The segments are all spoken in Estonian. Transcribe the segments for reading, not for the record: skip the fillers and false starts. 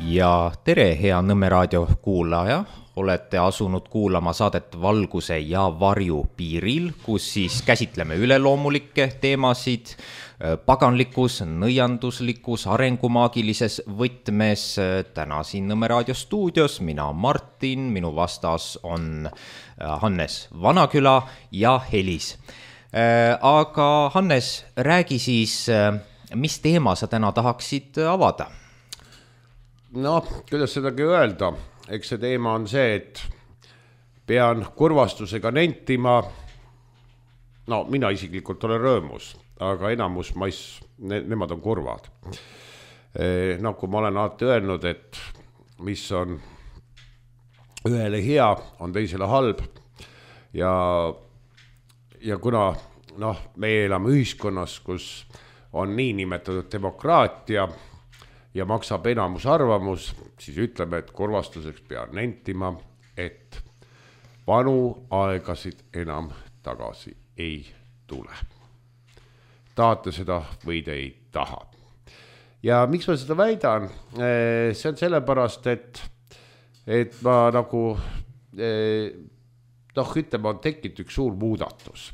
Ja tere, hea Nõmme raadio kuulaja, olete asunud kuulama saadet Valguse ja varju piiril, kus siis käsitleme üleloomulikke teemasid paganlikus, nõianduslikus, arengumaagilises võtmes. Täna siin Nõmme raadio stuudios, mina Martin, minu vastas on Hannes Vanaküla ja Helis. Aga Hannes, räägi siis, mis teema sa täna tahaksid avada? No, kuidas sedagi öelda, eks see teema on see, et pean kurvastusega nentima, no mina isiklikult olen rõõmus, aga enamus nemad on kurvad. Kui ma olen alati öelnud, et mis on ühele hea, on teisele halb ja kuna meie elame ühiskonnas, kus on nii nimetatud demokraatia ja maksab enamus arvamus, siis ütleme, et kurvastuseks pean nentima, et vanu aegasid enam tagasi ei tule. Tahate seda või te ei taha. Ja miks ma seda väidan? See on sellepärast, et ma ütleme, on tekkinud üks suur muudatus.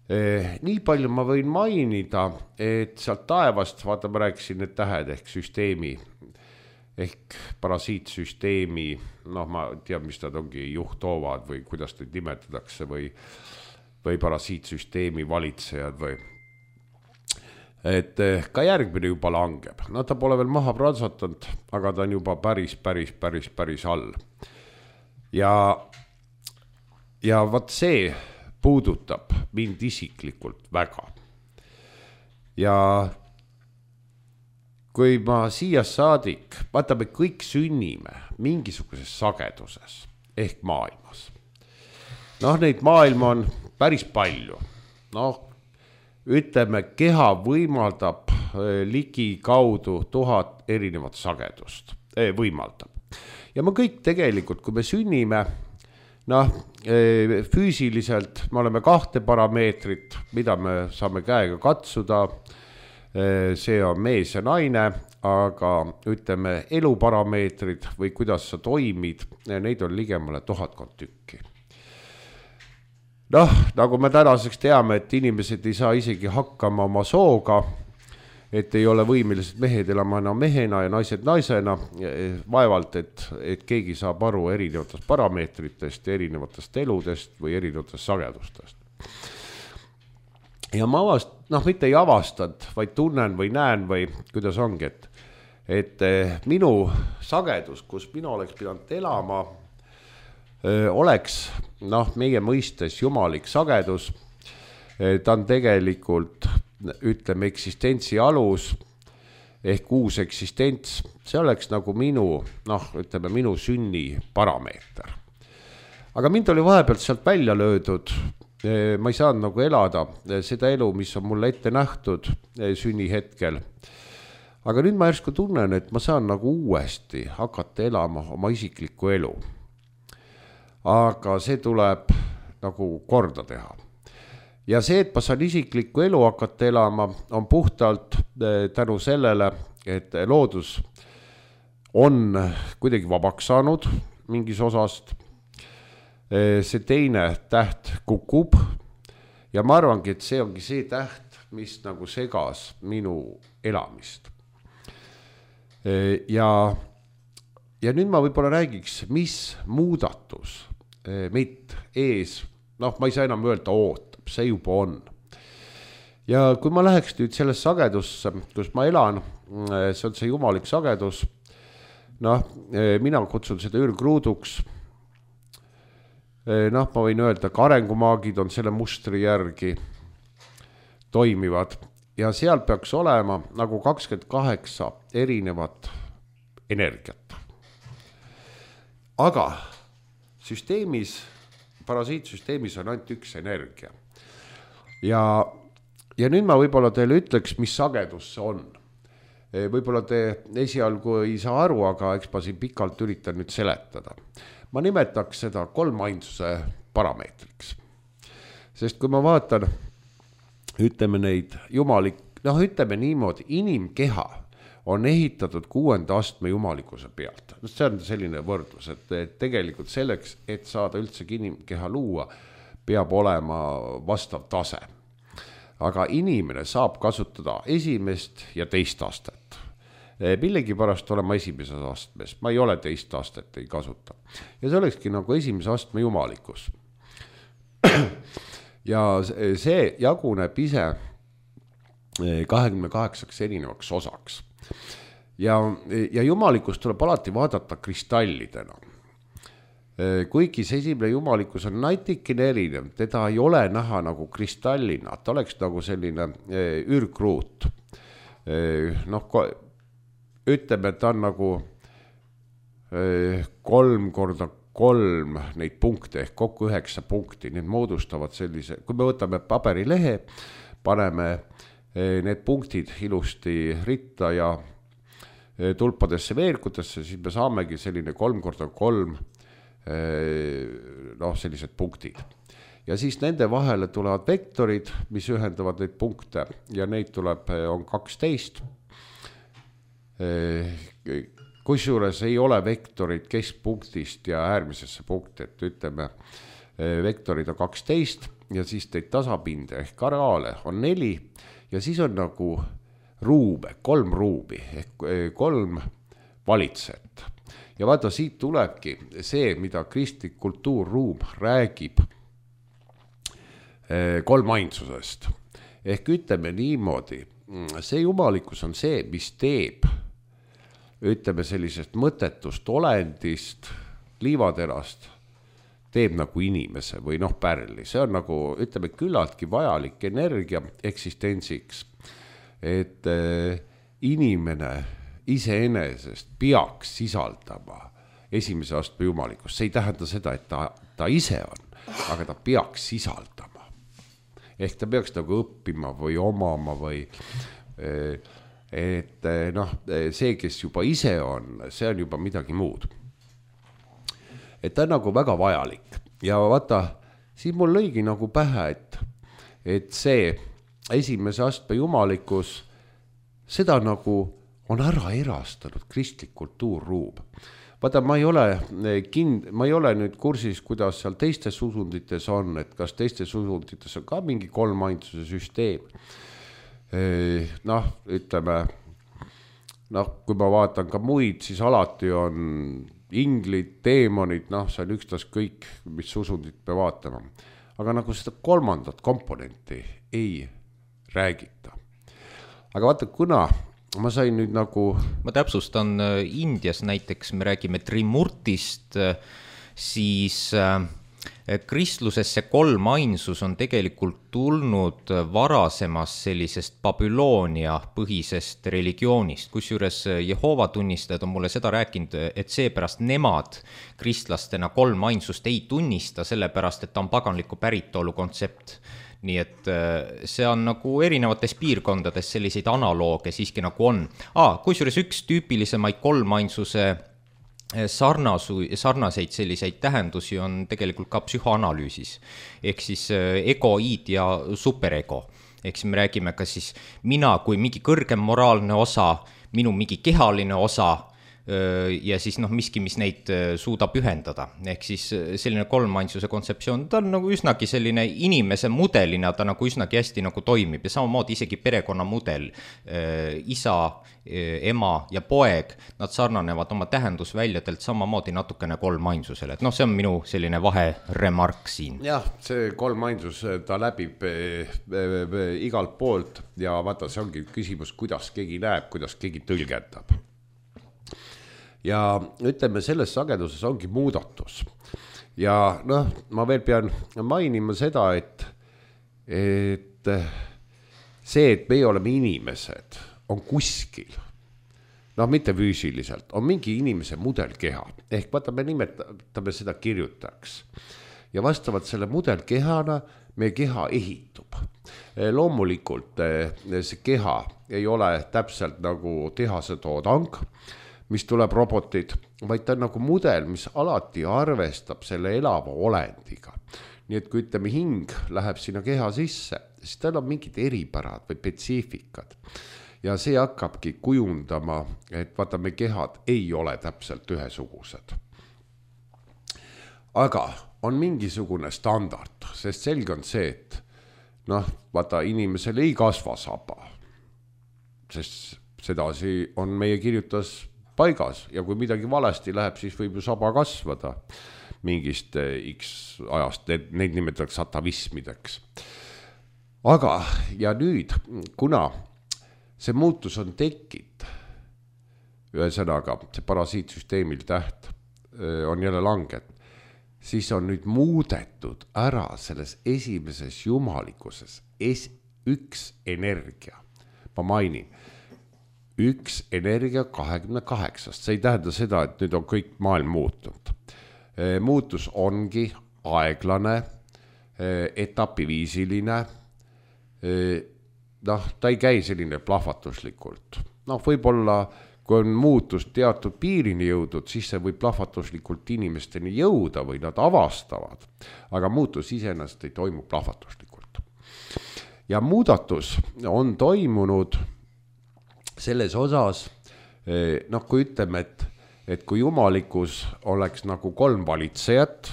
Nii palju ma võin mainida, et sealt taevast, vaata ma rääkisin need tähed ehk süsteemi, ehk parasiitsüsteemi, ma tean, mis nad ongi, juhtoovad või kuidas neid nimetatakse või parasiitsüsteemi valitsejad või. Et ka järgmine juba langeb. Ta pole veel maha pransatanud, aga ta on juba päris all. Ja vaat see puudutab mind isiklikult väga. Ja kui ma siia saadik, vaata me kõik sünnime mingisuguses sageduses ehk maailmas. Neid maailma on päris palju. Ütleme, keha võimaldab ligi kaudu 1000 erinevat sagedust. Võimaldab. Ja me kõik tegelikult, kui me sünnime, füüsiliselt me oleme 2 parameetrit, mida me saame käega katsuda. See on mees ja naine, aga ütleme eluparameetrid või kuidas sa toimid, neid on ligemale 1000 tükki. Nagu me tänaseks teame, et inimesed ei saa isegi hakkama oma sooga, et ei ole võimelised mehed elama enam mehena ja naised naisena, vaevalt, et keegi saab aru erinevatest parameetritest, erinevatest eludest või erinevatest sagedustest. Ja ma mitte ei avastanud, vaid tunnen või näen või kuidas ongi, et minu sagedus, kus mina oleks pidanud elama, oleks meie mõistes jumalik sagedus. Ta on tegelikult ütleme eksistentsi alus ehk uus eksistents, see oleks nagu minu sünni parameeter. Aga mind oli vahepealt sealt välja löödud, ma ei saanud elada seda elu, mis on mulle ette nähtud sünni hetkel. Aga nüüd ma järsku tunnen, et ma saan uuesti hakata elama oma isiklikku elu. Aga see tuleb korda teha. Ja see, et ma saan isiklikku elu hakata elama, on puhtalt tänu sellele, et loodus on kuidagi vabaks saanud mingis osast. See teine täht kukub ja ma arvangi, et see ongi see täht, mis segas minu elamist. Ja nüüd ma võib-olla räägiks, mis muudatus meid ees, ma ei saa enam öelda ootab, see juba on. Ja kui ma läheks nüüd selles sagedusse, kus ma elan, see on see jumalik sagedus, mina kutsun seda ürgruuduks. Ma võin öelda, ka arengumaagid on selle mustri järgi toimivad ja seal peaks olema 28 erinevat energiat. Aga süsteemis, parasiitsüsteemis on ainult üks energia. Ja nüüd ma võib-olla teile ütleks, mis sagedus see on. Võib-olla te esialgu ei saa aru, aga eks ma siin pikalt üritan nüüd seletada. Ma nimetaks seda 3 ainsuse parameetriks. Sest kui ma vaatan, ütleme neid jumalik, ütleme niimoodi, inimkeha on ehitatud 6. astme jumalikkuse pealt. See on selline võrdlus, et tegelikult selleks, et saada üldse inimkeha luua, peab olema vastav tase. Aga inimene saab kasutada esimest ja teist astet. Millegipärast olema esimeses astmes, ma ei ole teist astet, ei kasuta. Ja see olekski nagu esimese astme jumalikkus. Ja see jaguneb ise 28 erinevaks osaks. Ja jumalikkus tuleb alati vaadata kristallidena. Kuigi see esimene jumalikkus on natikene erinev, teda ei ole näha nagu kristallina, ta oleks nagu selline ürgruut. Ütleme, et ta on nagu 3x3 neid punkte ehk kokku 9 punkti, need moodustavad sellise, kui me võtame paberilehe, paneme need punktid ilusti ritta ja tulpadesse veerkutesse, siis me saamegi selline 3x3 sellised punktid. Ja siis nende vahele tulevad vektorid, mis ühendavad neid punkte ja neid tuleb, on 12. Kusjuures ei ole vektorid keskpunktist ja äärmisesse punkti, et ütleme, vektorid on 12 ja siis teid tasapinde ehk areaale on 4 ja siis on nagu ruube, 3 ruubi ehk 3 valitsejat. Ja vaata, siit tulebki see, mida kristlik kultuurruum räägib kolmainsusest. Ehk ütleme niimoodi, see jumalikkus on see, mis teeb, ütleme sellisest mõttetust olendist, liivaterast, teeb nagu inimese või pärli. See on nagu, ütleme, küllaltki vajalik energia eksistentsiks, et inimene iseenesest peaks sisaldama esimese astme jumalikkust. See ei tähenda seda, et ta ise on, aga ta peaks sisaldama. Ehk ta peaks nagu õppima või omama või et see, kes juba ise on, see on juba midagi muud. Et ta on nagu väga vajalik ja vaata, siin mul lõigi nagu pähe, et see esimese astme jumalikkus, seda nagu on ära erastanud kristlik kultuurruum. Vaata, ma ei ole nüüd kursis, kuidas seal teistes usundites on, et kas teistes usundites on ka mingi kolmainsuse süsteem. Ütleme, kui ma vaatan ka muid, siis alati on inglid, teemonid, see on ükstas kõik, mis usundit me vaatama. Aga nagu seda kolmandat komponenti ei räägita. Aga vaata, kuna ma sain nüüd nagu... Ma täpsustan, Indias näiteks me räägime Trimurtist, siis kristlusesse kolmainsus on tegelikult tulnud varasemast sellisest Babyloonia põhisest religioonist, kusjuures Jehova tunnistajad on mulle seda rääkinud, et seepärast nemad kristlastena kolmainsust ei tunnista, sellepärast, et ta on paganliku päritolu kontsept. Nii et see on nagu erinevates piirkondades selliseid analooge siiski nagu on. Kusjuures üks tüüpilisemaid kolmainsuse sarnaseid selliseid tähendusi on tegelikult ka psühhoanalüüsis. Ehk siis egoid ja superego. Ehk siis me räägime ka siis mina kui mingi kõrgem moraalne osa, minu mingi kehaline osa ja siis miski, mis neid suudab ühendada. Ehk siis selline kolmainsuse kontseptsioon, ta on nagu üsnagi selline inimese mudelina, ta nagu üsnagi hästi nagu toimib ja samamoodi isegi perekonna mudel, isa, ema ja poeg, nad sarnanevad oma tähendusväljadelt samamoodi natukene kolmainsusele. Et see on minu selline vaheremark siin. Jah, see kolmainsus, ta läbib igalt poolt ja vaata, see ongi küsimus, kuidas keegi näeb, kuidas keegi tõlgendab. Ja ütleme, selles sageduses ongi muudatus. Ja ma veel pean mainima seda, et see, et meie oleme inimesed, on kuskil, mitte füüsiliselt, on mingi inimese mudelkeha. Ehk vaata, me nimetame seda kirjutajaks. Ja vastavalt selle mudelkehana meie keha ehitub. Loomulikult see keha ei ole täpselt nagu tehase toodang, mis tuleb robotid, vaid ta on nagu mudel, mis alati arvestab selle elava olendiga. Nii et kui ütleme, hing läheb sinna keha sisse, siis tal on mingid eripärad või spetsiifikad. ja see hakkabki kujundama, et vaata, me kehad ei ole täpselt ühesugused. Aga on mingisugune standard, sest selge on see, et vaata, inimesel ei kasva saba, sest sedasi on meie kirjutas paigas ja kui midagi valesti läheb, siis võib ju saba kasvada mingist X ajast, neid nimetatakse atavismideks. Aga ja nüüd, kuna see muutus on tekkinud, ühesõnaga see parasiitsüsteemil täht on jälle langet, siis on nüüd muudetud ära selles esimeses jumalikkuses üks energia. Ma mainin, üks energia 28. See ei tähenda seda, et nüüd on kõik maailm muutunud. Muutus ongi aeglane, etapiviisiline, ta ei käi selline plahvatuslikult. Võib-olla, kui on muutus teatud piirini jõudnud, siis see võib plahvatuslikult inimesteni jõuda või nad avastavad, aga muutus iseenesest ei toimu plahvatuslikult. Ja muudatus on toimunud selles osas, kui ütleme, et kui jumalikkus oleks nagu 3 valitsejat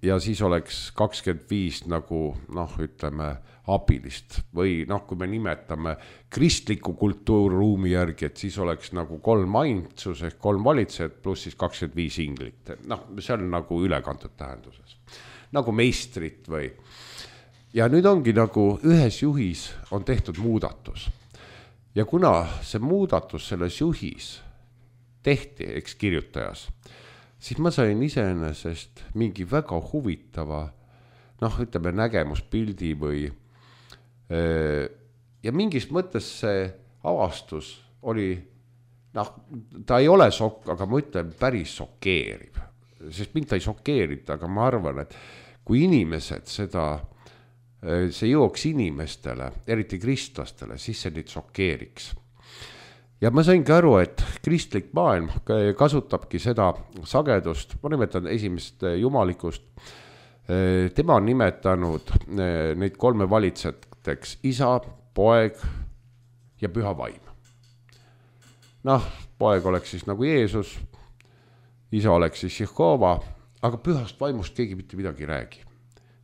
ja siis oleks 25 nagu, ütleme, abilist või kui me nimetame kristliku kultuurruumi järgi, et siis oleks nagu 3 ainsus ehk 3 valitsejat pluss siis 25 inglit. See on nagu ülekantud tähenduses. Nagu meistrit või. Ja nüüd ongi nagu ühes juhis on tehtud muudatus. Ja kuna see muudatus selles juhis tehti, eks kirjutajas, siis ma sain iseenesest mingi väga huvitava, ütleme nägemuspildi või ja mingis mõttes see avastus oli, ta ei ole aga ma ütlen päris šokeeriv, sest mind ta ei šokeerita, aga ma arvan, et kui inimesed see jõuaks inimestele, eriti kristlastele, siis see neid šokeeriks. Ja ma saingi aru, et kristlik maailm kasutabki seda sagedust, ma nimetan esimest jumalikust, tema on nimetanud neid 3 valitsejateks isa, poeg ja püha vaim. Poeg oleks siis nagu Jeesus, isa oleks siis Jehova, aga pühast vaimust keegi mitte midagi ei räägi.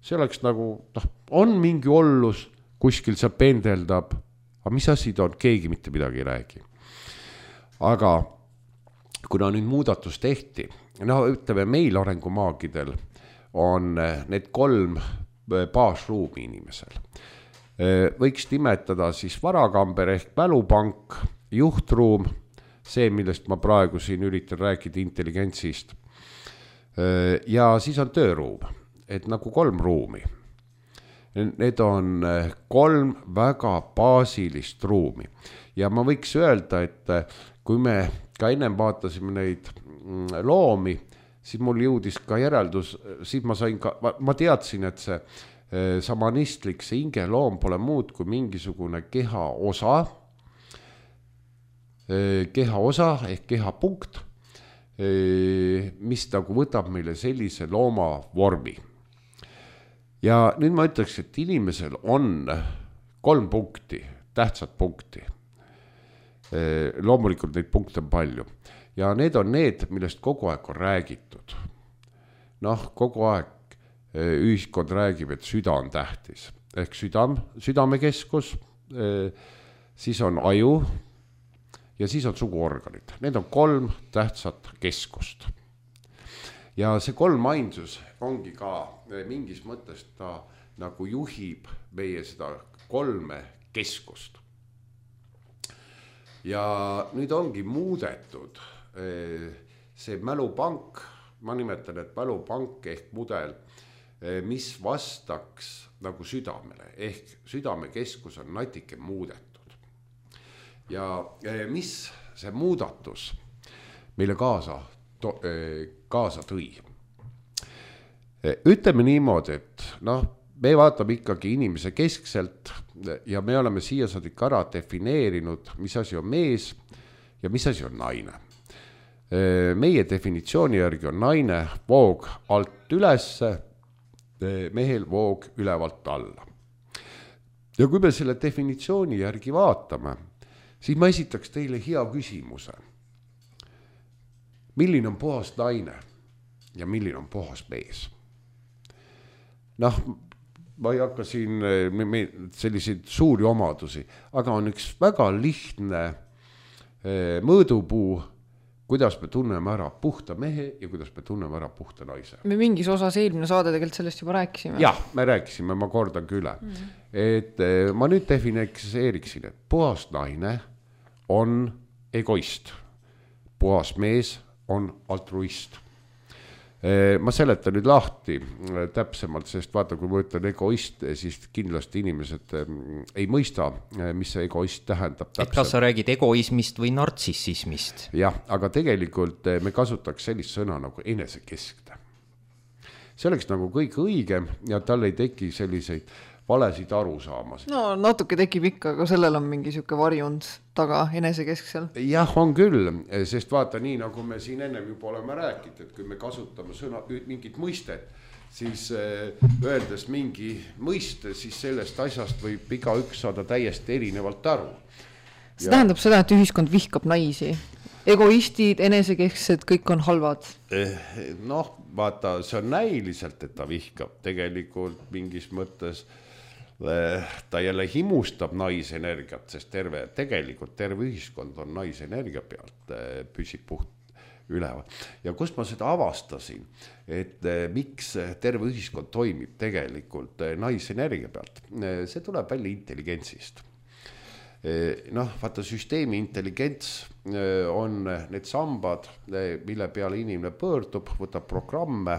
See oleks nagu, on mingi ollus, kuskil see pendeldab, aga mis asi ta on, keegi mitte midagi ei räägi. Aga kuna nüüd muudatus tehti, ütleme meil arengumaagidel on need 3 baasruumi inimesel. Võiks nimetada siis varakamber ehk mälupank, juhtruum, see, millest ma praegu siin üritan rääkida intelligentsist. Ja siis on tööruum, et nagu 3 ruumi. Need on 3 väga baasilist ruumi. Ja ma võiks öelda, et kui me ka ennem vaatasime neid loomi, siis mul jõudis ka järeldus, siis ma teadsin, et see samanistlik, see hingeloom pole muud kui mingisugune keha osa ehk kehapunkt, mis nagu võtab meile sellise looma vormi. Ja nüüd ma ütleks, et inimesel on 3 punkti, tähtsat punkti. Loomulikult neid punkte on palju. Ja need on need, millest kogu aeg on räägitud. Kogu aeg ühiskond räägib, et süda on tähtis. Ehk südamekeskus, siis on aju ja siis on suguorganid. Need on 3 tähtsat keskust. Ja see 3 ainsus ongi ka mingis mõttes ta nagu juhib meie seda 3 keskust. Ja nüüd ongi muudetud see mälupank, ma nimetan, et mälupank ehk mudel, mis vastaks nagu südamele, ehk südamekeskus on natuke muudetud. Ja mis see muudatus meile kaasa tõi? Ütleme niimoodi, et me vaatame ikkagi inimese keskselt ja me oleme siia saadik ära defineerinud, mis asi on mees ja mis asi on naine. Meie definitsiooni järgi on naine voog alt ülesse, mehel voog ülevalt alla. ja kui me selle definitsiooni järgi vaatame, siis ma esitaks teile hea küsimuse. Milline on puhas naine ja milline on puhas mees? Noh, ma ei hakka siin selliseid suuri omadusi, aga on üks väga lihtne mõõdupuu, kuidas me tunneme ära puhta mehe ja kuidas me tunneme ära puhta naise. Me mingis osas eelmine saade tegelikult sellest juba rääkisime. Jah, me rääkisime, ma kordan üle. Et ma nüüd defineeriksin, et puhas naine on egoist, puhas mees on altruist. Ma seletan nüüd lahti täpsemalt, sest vaata, kui ma ütlen egoist, siis kindlasti inimesed ei mõista, mis see egoist tähendab täpselt. Et kas sa räägid egoismist või nartsissismist? Jah, aga tegelikult me kasutaks sellist sõna nagu enesekeskne. See oleks nagu kõik õigem ja tal ei teki selliseid valesid arusaamas. No natuke tekib ikka, aga sellel on mingi siuke varjund taga enesekesksel. Jah, on küll, sest vaata nii, nagu me siin ennem juba oleme rääkinud, et kui me kasutame sõna, mingit mõistet, siis öeldes mingi mõiste, siis sellest asjast võib iga üks saada täiesti erinevalt aru. See tähendab seda, et ühiskond vihkab naisi. Egoistid, enesekesksed, kõik on halvad. Noh, vaata, see on näiliselt, et ta vihkab tegelikult mingis mõttes. Ta jälle himustab naisenergiat, sest tegelikult terve ühiskond on naisenergia pealt, püsib puht üleval. Ja kust ma seda avastasin, et miks terve ühiskond toimib tegelikult naisenergia pealt, see tuleb välja intelligentsist. Noh, vaata, süsteemi intelligents on need sambad, mille peale inimene pöördub, võtab programme.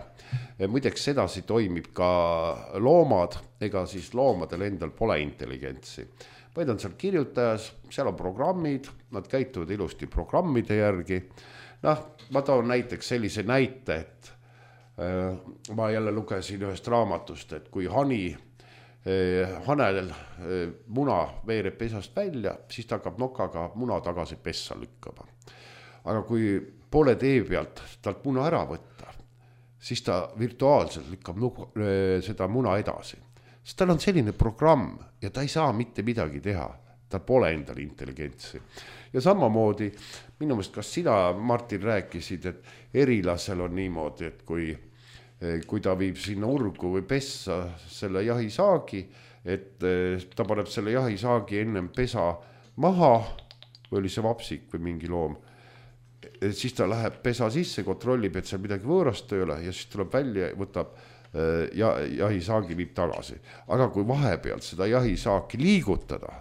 Muideks sedasi toimib ka loomad, ega siis loomadel endal pole intelligentsi. Vaid on seal kirjutajas, seal on programmid, nad käituvad ilusti programmide järgi. Noh, ma toon näiteks sellise näite, et ma jälle lugesin ühest raamatust, et kui hanel muna veereb pesast välja, siis ta hakkab nokaga muna tagasi pessa lükkama. Aga kui poole tee pealt talt muna ära võtta, siis ta virtuaalselt lükkab seda muna edasi. Sest tal on selline programm ja ta ei saa mitte midagi teha. Tal pole endal intelligentsi. Ja samamoodi, minu meelest, kas sina, Martin, rääkisid, et erilasel on niimoodi, et kui ta viib sinna urgu või pessa selle jahisaagi, et ta paneb selle jahisaagi ennem pesa maha, või oli see vapsik või mingi loom, siis ta läheb pesa sisse, kontrollib, et seal midagi võõrast ei ole ja siis tuleb välja, võtab jahisaagi viib tagasi. Aga kui vahepealt seda jahisaaki liigutada,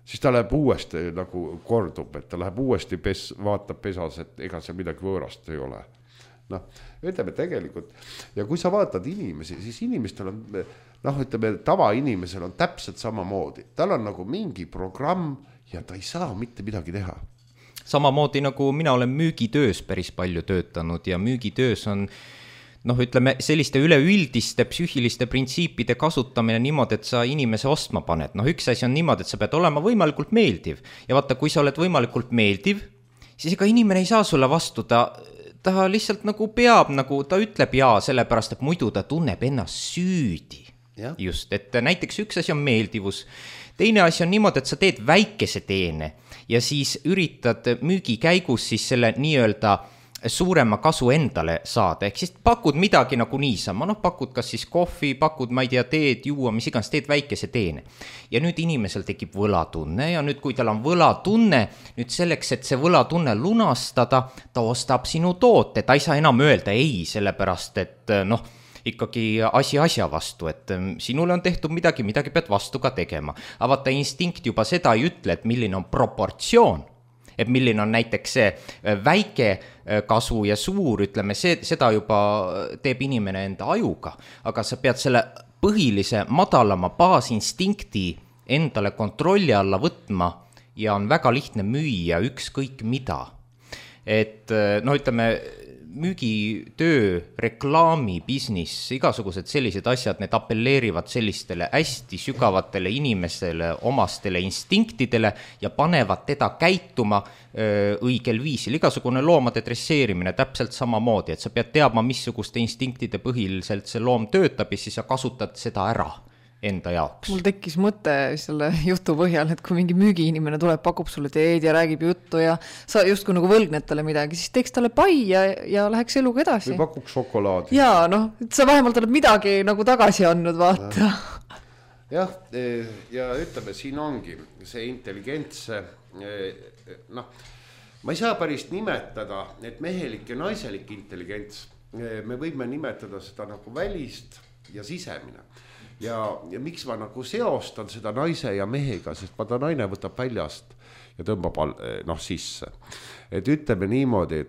siis ta läheb uuesti nagu kordub, et ta läheb uuesti vaatab pesas, et ega seal midagi võõrast ei ole. Noh, ütleme tegelikult, ja kui sa vaatad inimesi, siis inimestel on, noh, ütleme, tavainimesel on täpselt samamoodi. Tal on nagu mingi programm ja ta ei saa mitte midagi teha. Samamoodi nagu mina olen müügitöös päris palju töötanud ja müügitöös on, noh, ütleme, selliste üleüldiste psüühiliste printsiipide kasutamine niimoodi, et sa inimese ostma paned. Noh, üks asi on niimoodi, et sa pead olema võimalikult meeldiv. Ja vaata, kui sa oled võimalikult meeldiv, siis ega inimene ei saa sulle vastu, ta lihtsalt nagu peab, nagu ta ütleb jaa, sellepärast, et muidu ta tunneb ennast süüdi. Ja. Just, et näiteks üks asi on meeldivus. Teine asi on niimoodi, et sa teed väikese teene ja siis üritad müügi käigus siis selle nii-öelda suurema kasu endale saada. Ehk siis pakud midagi nagu niisama, noh, pakud kas siis kohvi, pakud, ma ei tea, teed, juua, mis iganes, teed väikese teene. Ja nüüd inimesel tekib võlatunne ja nüüd, kui tal on võlatunne, nüüd selleks, et see võlatunne lunastada, ta ostab sinu toote, ta ei saa enam öelda ei, sellepärast, et noh, ikkagi asi asja vastu, et sinule on tehtud midagi, midagi pead vastu ka tegema. Aga vaata, instinkt juba seda ei ütle, et milline on proportsioon, et milline on näiteks see väike kasu ja suur, ütleme, seda juba teeb inimene enda ajuga, aga sa pead selle põhilise madalama baasinstinkti endale kontrolli alla võtma ja on väga lihtne müüa ükskõik mida. Et no ütleme, müügitöö, reklaami, business, igasugused sellised asjad, need appelleerivad sellistele hästi sügavatele inimesele, omastele instinktidele ja panevad teda käituma õigel viisil. Igasugune loomade dresseerimine täpselt samamoodi, et sa pead teadma, missuguste instinktide põhiliselt see loom töötab ja siis sa kasutad seda ära enda jaoks. Mul tekkis mõte selle jutu põhjal, et kui mingi müügiinimene tuleb, pakub sulle teed ja räägib juttu ja sa justkui nagu võlgned talle midagi, siis teeks talle pai ja läheks eluga edasi. Või pakuks šokolaadi. Jaa, noh, sa vähemalt oled midagi nagu tagasi andnud, vaata. Jah, ja ütleme, siin ongi see intelligents, noh, ma ei saa päris nimetada, et mehelik ja naiselik intelligents, me võime nimetada seda nagu välist ja sisemine. Ja miks ma nagu seostan seda naise ja mehega, sest vaata naine võtab väljast ja tõmbab sisse. Et ütleme niimoodi,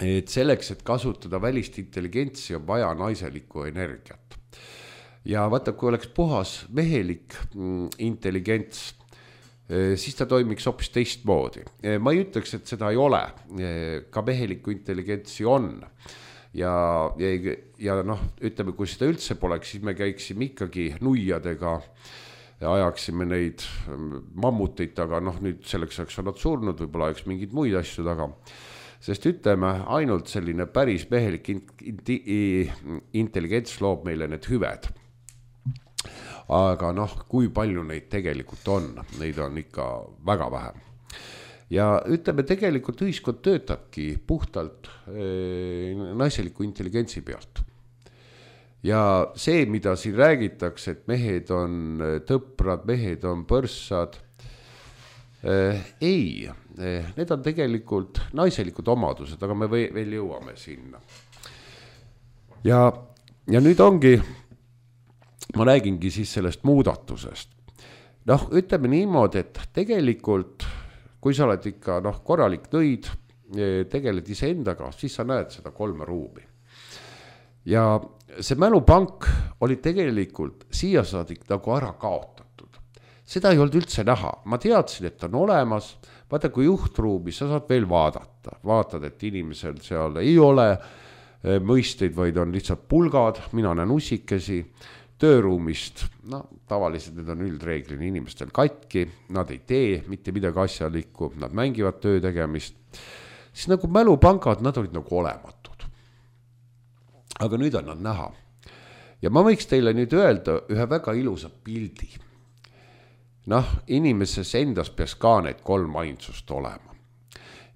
et selleks, et kasutada välist intelligentsi, on vaja naiselikku energiat. Ja vaata, kui oleks puhas mehelik intelligents, siis ta toimiks hoopis teistmoodi. Ma ei ütleks, et seda ei ole, ka mehelikku intelligentsi on. Ja noh, ütleme, kui seda üldse poleks, siis me käiksime ikkagi nuiadega ja ajaksime neid mammuteid, aga noh, nüüd selleks oleks nad surnud, võib-olla oleks mingid muid asju taga. Sest ütleme, ainult selline päris mehelik intelligents loob meile need hüved. Aga noh, kui palju neid tegelikult on, neid on ikka väga vähe. Ja ütleme, tegelikult ühiskond töötabki puhtalt naiseliku intelligentsi pealt. Ja see, mida siin räägitakse, et mehed on tõprad, mehed on põrssad, ei, need on tegelikult naiselikud omadused, aga me veel jõuame sinna. Ja nüüd ongi, ma räägingi siis sellest muudatusest. Noh, ütleme niimoodi, et tegelikult kui sa oled ikka korralik nõid, tegeled ise endaga, siis sa näed seda 3 ruumi. Ja see mälupank oli tegelikult siia saadik nagu ära kaotatud. Seda ei olnud üldse näha. Ma teadsin, et on olemas. Vaata, kui juhtruumi sa saad veel vaadata. Vaatad, et inimesel seal ei ole mõisteid, vaid on lihtsalt pulgad. Mina näen usikesi. Tööruumist, tavaliselt need on üldreeglini inimestel katki, nad ei tee mitte midagi asjalikku, nad mängivad töö tegemist. Siis nagu mälupangad, nad olid nagu olematud. Aga nüüd on nad näha. Ja ma võiks teile nüüd öelda ühe väga ilusa pildi. Inimeses endas peaks ka need 3 ainsust olema.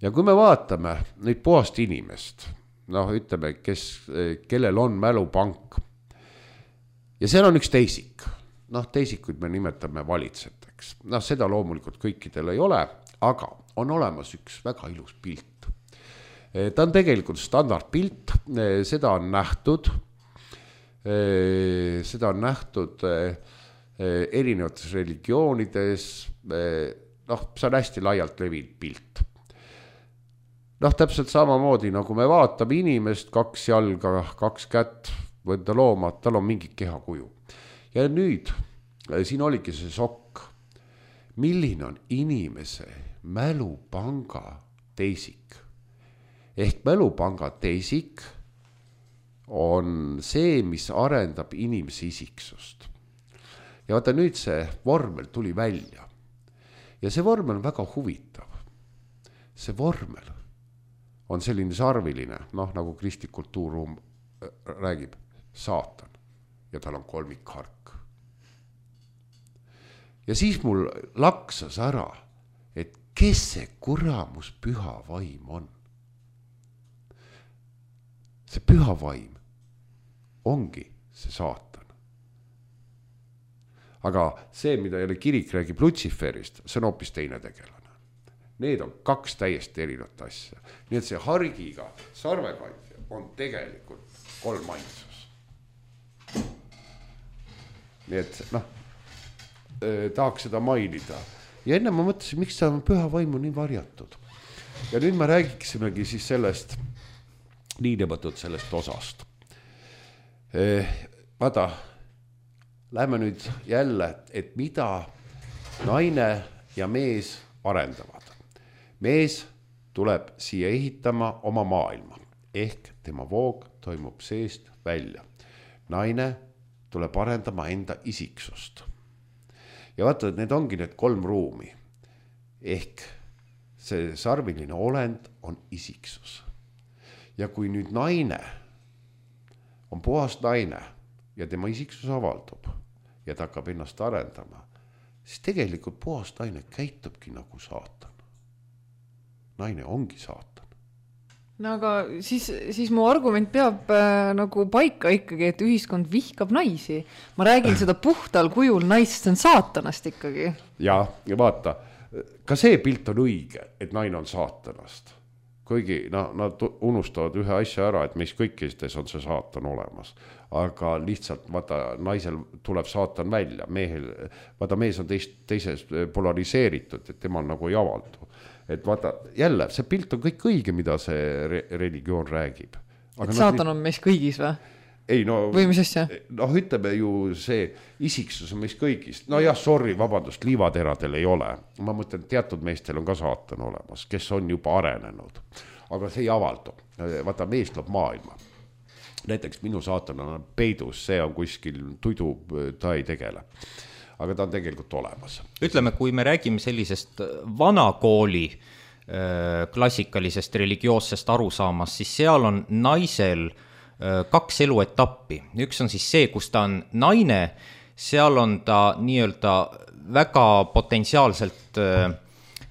Ja kui me vaatame neid puhast inimest, ütleme, kellel on mälupank, ja seal on üks teisik. Teisikuid me nimetame valitsejateks. Seda loomulikult kõikidel ei ole, aga on olemas üks väga ilus pilt. Ta on tegelikult standardpilt, seda on nähtud erinevates religioonides, see on hästi laialt levinud pilt. Täpselt samamoodi, nagu me vaatame inimest, 2 jalga, 2 kätt, võtta looma, tal on mingi kehakuju. Ja nüüd, siin oligi see sokk. Milline on inimese mälupanga teisik? Ehk mälupanga teisik on see, mis arendab inimese isiksust. Ja vaata nüüd see vormel tuli välja. Ja see vormel on väga huvitav. See vormel on selline sarviline, nagu kristlik kultuurruum räägib, saatan ja tal on 3 hark. Ja siis mul laksas ära, et kes see kuramus püha vaim on? See püha vaim ongi see saatan. Aga see, mida jälle kirik räägib Lutsiferist, see on hoopis teine tegelane. Need on 2 täiesti erinevat asja. Nii et see hargiga sarvekandja on tegelikult 3 ainsus. Nii et tahaks seda mainida. Ja enne ma mõtlesin, miks ta on püha vaimu nii varjatud. Ja nüüd me räägiksimegi siis sellest, niinimetatud sellest osast. Vaata, läheme nüüd jälle, et mida naine ja mees arendavad. Mees tuleb siia ehitama oma maailma, ehk tema voog toimub seest välja. Naine tuleb arendama enda isiksust. Ja vaata, need ongi need 3 ruumi. Ehk see sarviline olend on isiksus. Ja kui nüüd naine on puhas naine ja tema isiksus avaldub, ja ta hakkab ennast arendama, siis tegelikult puhas naine käitubki nagu saatan. Naine ongi saatan. No aga siis mu argument peab nagu paika ikkagi, et ühiskond vihkab naisi. Ma räägin seda puhtal kujul naist, see on saatanast ikkagi. Ja vaata, ka see pilt on õige, et naine on saatanast. Kuigi nad unustavad ühe asja ära, et meis kõikides on see saatan olemas. Aga lihtsalt vaata, naisel tuleb saatan välja. Vaata, mees on teises polariseeritud, et temal nagu ei avaldu. Et vaata, jälle, see pilt on kõik õige, mida see religioon räägib. Et saatan on meis kõigis või? Ei, no, või mis asja? No ütleme ju see isiksus on meis kõigis. No jah, sorry, vabandust, liivateradel ei ole. Ma mõtlen, teatud meestel on ka saatan olemas, kes on juba arenenud. Aga see ei avaldu. Vaata, mees loob maailma. Näiteks minu saatan on peidus, see on kuskil tuidu, ta ei tegele. Aga ta on tegelikult olemas. Ütleme, kui me räägime sellisest vanakooli klassikalisest religioossest arusaamast, siis seal on naisel 2 eluetappi. Üks on siis see, kus ta on naine, seal on ta nii-öelda väga potentsiaalselt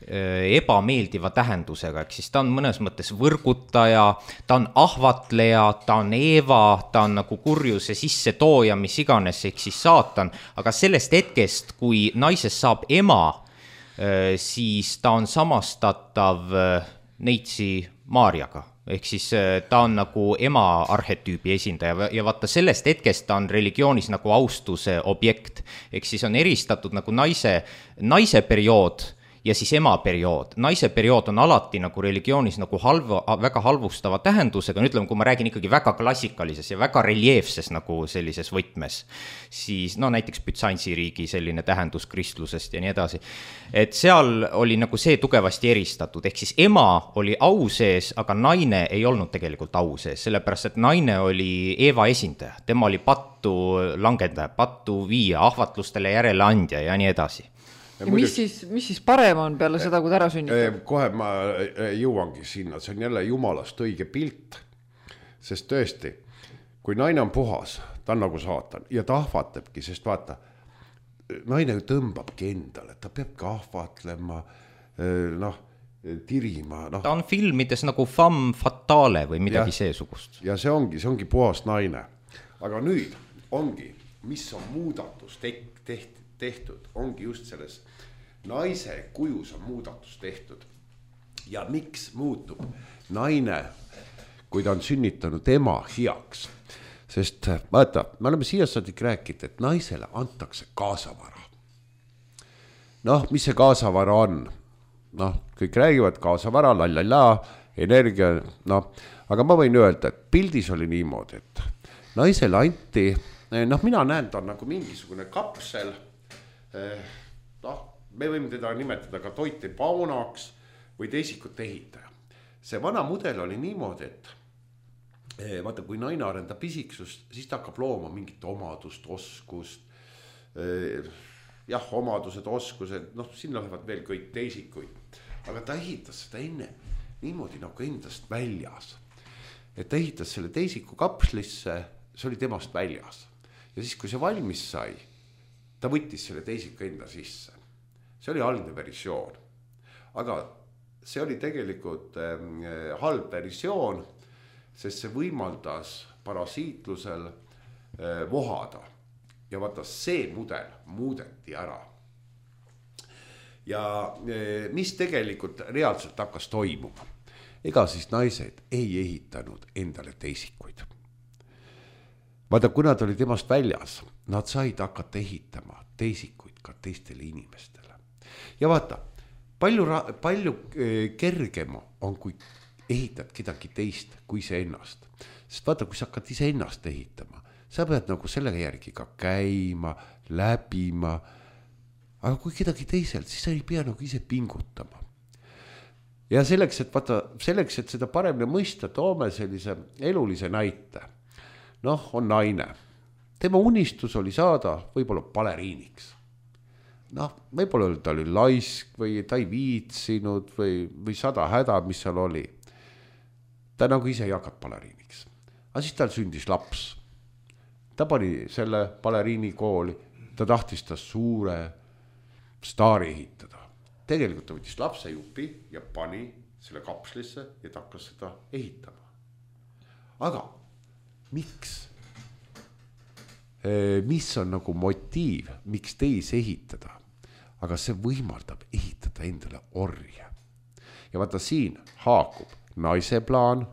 ebameeldiva tähendusega, ehk siis ta on mõnes mõttes võrgutaja, ta on ahvatleja, ta on Eeva, ta on nagu kurjuse sisse tooja, mis iganes, ehk siis saatan, aga sellest hetkest, kui naisest saab ema, siis ta on samastatav neitsi Maarjaga, ehk siis ta on nagu ema arhetüübi esindaja ja vaata sellest hetkest ta on religioonis nagu austuse objekt, ehk siis on eristatud nagu naise periood ja siis ema periood. Naise periood on alati nagu religioonis nagu väga halvustava tähendusega, ütleme, kui ma räägin ikkagi väga klassikalises ja väga reljeefses nagu sellises võtmes, siis no näiteks Bütsantsi riigi selline tähendus kristlusest ja nii edasi. Et seal oli nagu see tugevasti eristatud, ehk siis ema oli au sees, aga naine ei olnud tegelikult au sees, sellepärast et naine oli Eeva esindaja, tema oli pattu langendaja, pattu viia, ahvatlustele järeleandja ja nii edasi. Ja mis siis parem on peale seda, kui ta ära sünnitab? Kohe ma jõuangi sinna, see on jälle jumalast õige pilt, sest tõesti, kui naine on puhas, ta on nagu saatan ja ta ahvatlebki, sest vaata, naine tõmbabki endale, ta peabki ahvatlema, tirima. Ta on filmides nagu femme fatale või midagi seesugust. Ja see ongi puhas naine. Aga nüüd ongi, mis on muudatus tehtud, ongi just selles naise kujus on muudatus tehtud. Ja miks muutub naine, kui ta on sünnitanud ema heaks? Sest vaata, me oleme siiasaadik rääkinud, et naisele antakse kaasavara. Mis see kaasavara on? Kõik räägivad kaasavara, energia, aga ma võin öelda, et pildis oli niimoodi, et naisele anti, mina näen, ta on nagu mingisugune kapsel, me võime teda nimetada ka toiti paunaks või teisikut ehitaja. See vana mudel oli niimoodi, et vaata, kui naine arendab isiksust, siis ta hakkab looma mingit omadust, oskust, omadused, oskused, siin lähevad veel kõik teisikuid, aga ta ehitas seda enne niimoodi nagu endast väljas, et ta ehitas selle teisiku kapslisse, see oli temast väljas ja siis, kui see valmis sai, ta võttis selle teisiku enda sisse. See oli algne versioon. Aga see oli tegelikult halb versioon, sest see võimaldas parasiitlusel vohada. Ja vaata, see mudel muudeti ära. Ja mis tegelikult reaalselt hakkas toimuma? Ega siis naised ei ehitanud endale teisikuid. Vaata, kui nad olid temast väljas, nad said hakata ehitama teisikuid ka teistele inimestele. Ja vaata, palju kergem on, kui ehitad kedagi teist kui see ennast. Sest vaata, kui sa hakkad ise ennast ehitama, sa pead nagu selle järgi ka käima, läbima. Aga kui kedagi teiselt, siis sa ei pea nagu ise pingutama. Ja selleks, et seda paremini mõista, toome sellise elulise näite. On naine. Tema unistus oli saada võib-olla baleriiniks. Võib-olla ta oli laisk või ta ei viitsinud või 100 häda, mis seal oli. Ta nagu ise ei hakanud baleriiniks. Aga siis tal sündis laps. Ta pani selle baleriini kooli ta tahtis ta suure staari ehitada. Tegelikult ta võttis lapsejupi ja pani selle kapslisse ja ta hakkas seda ehitama. Aga miks? Mis on nagu motiiv, miks teisi ehitada? Aga see võimaldab ehitada endale orje. Ja vaata siin haakub naise plaan.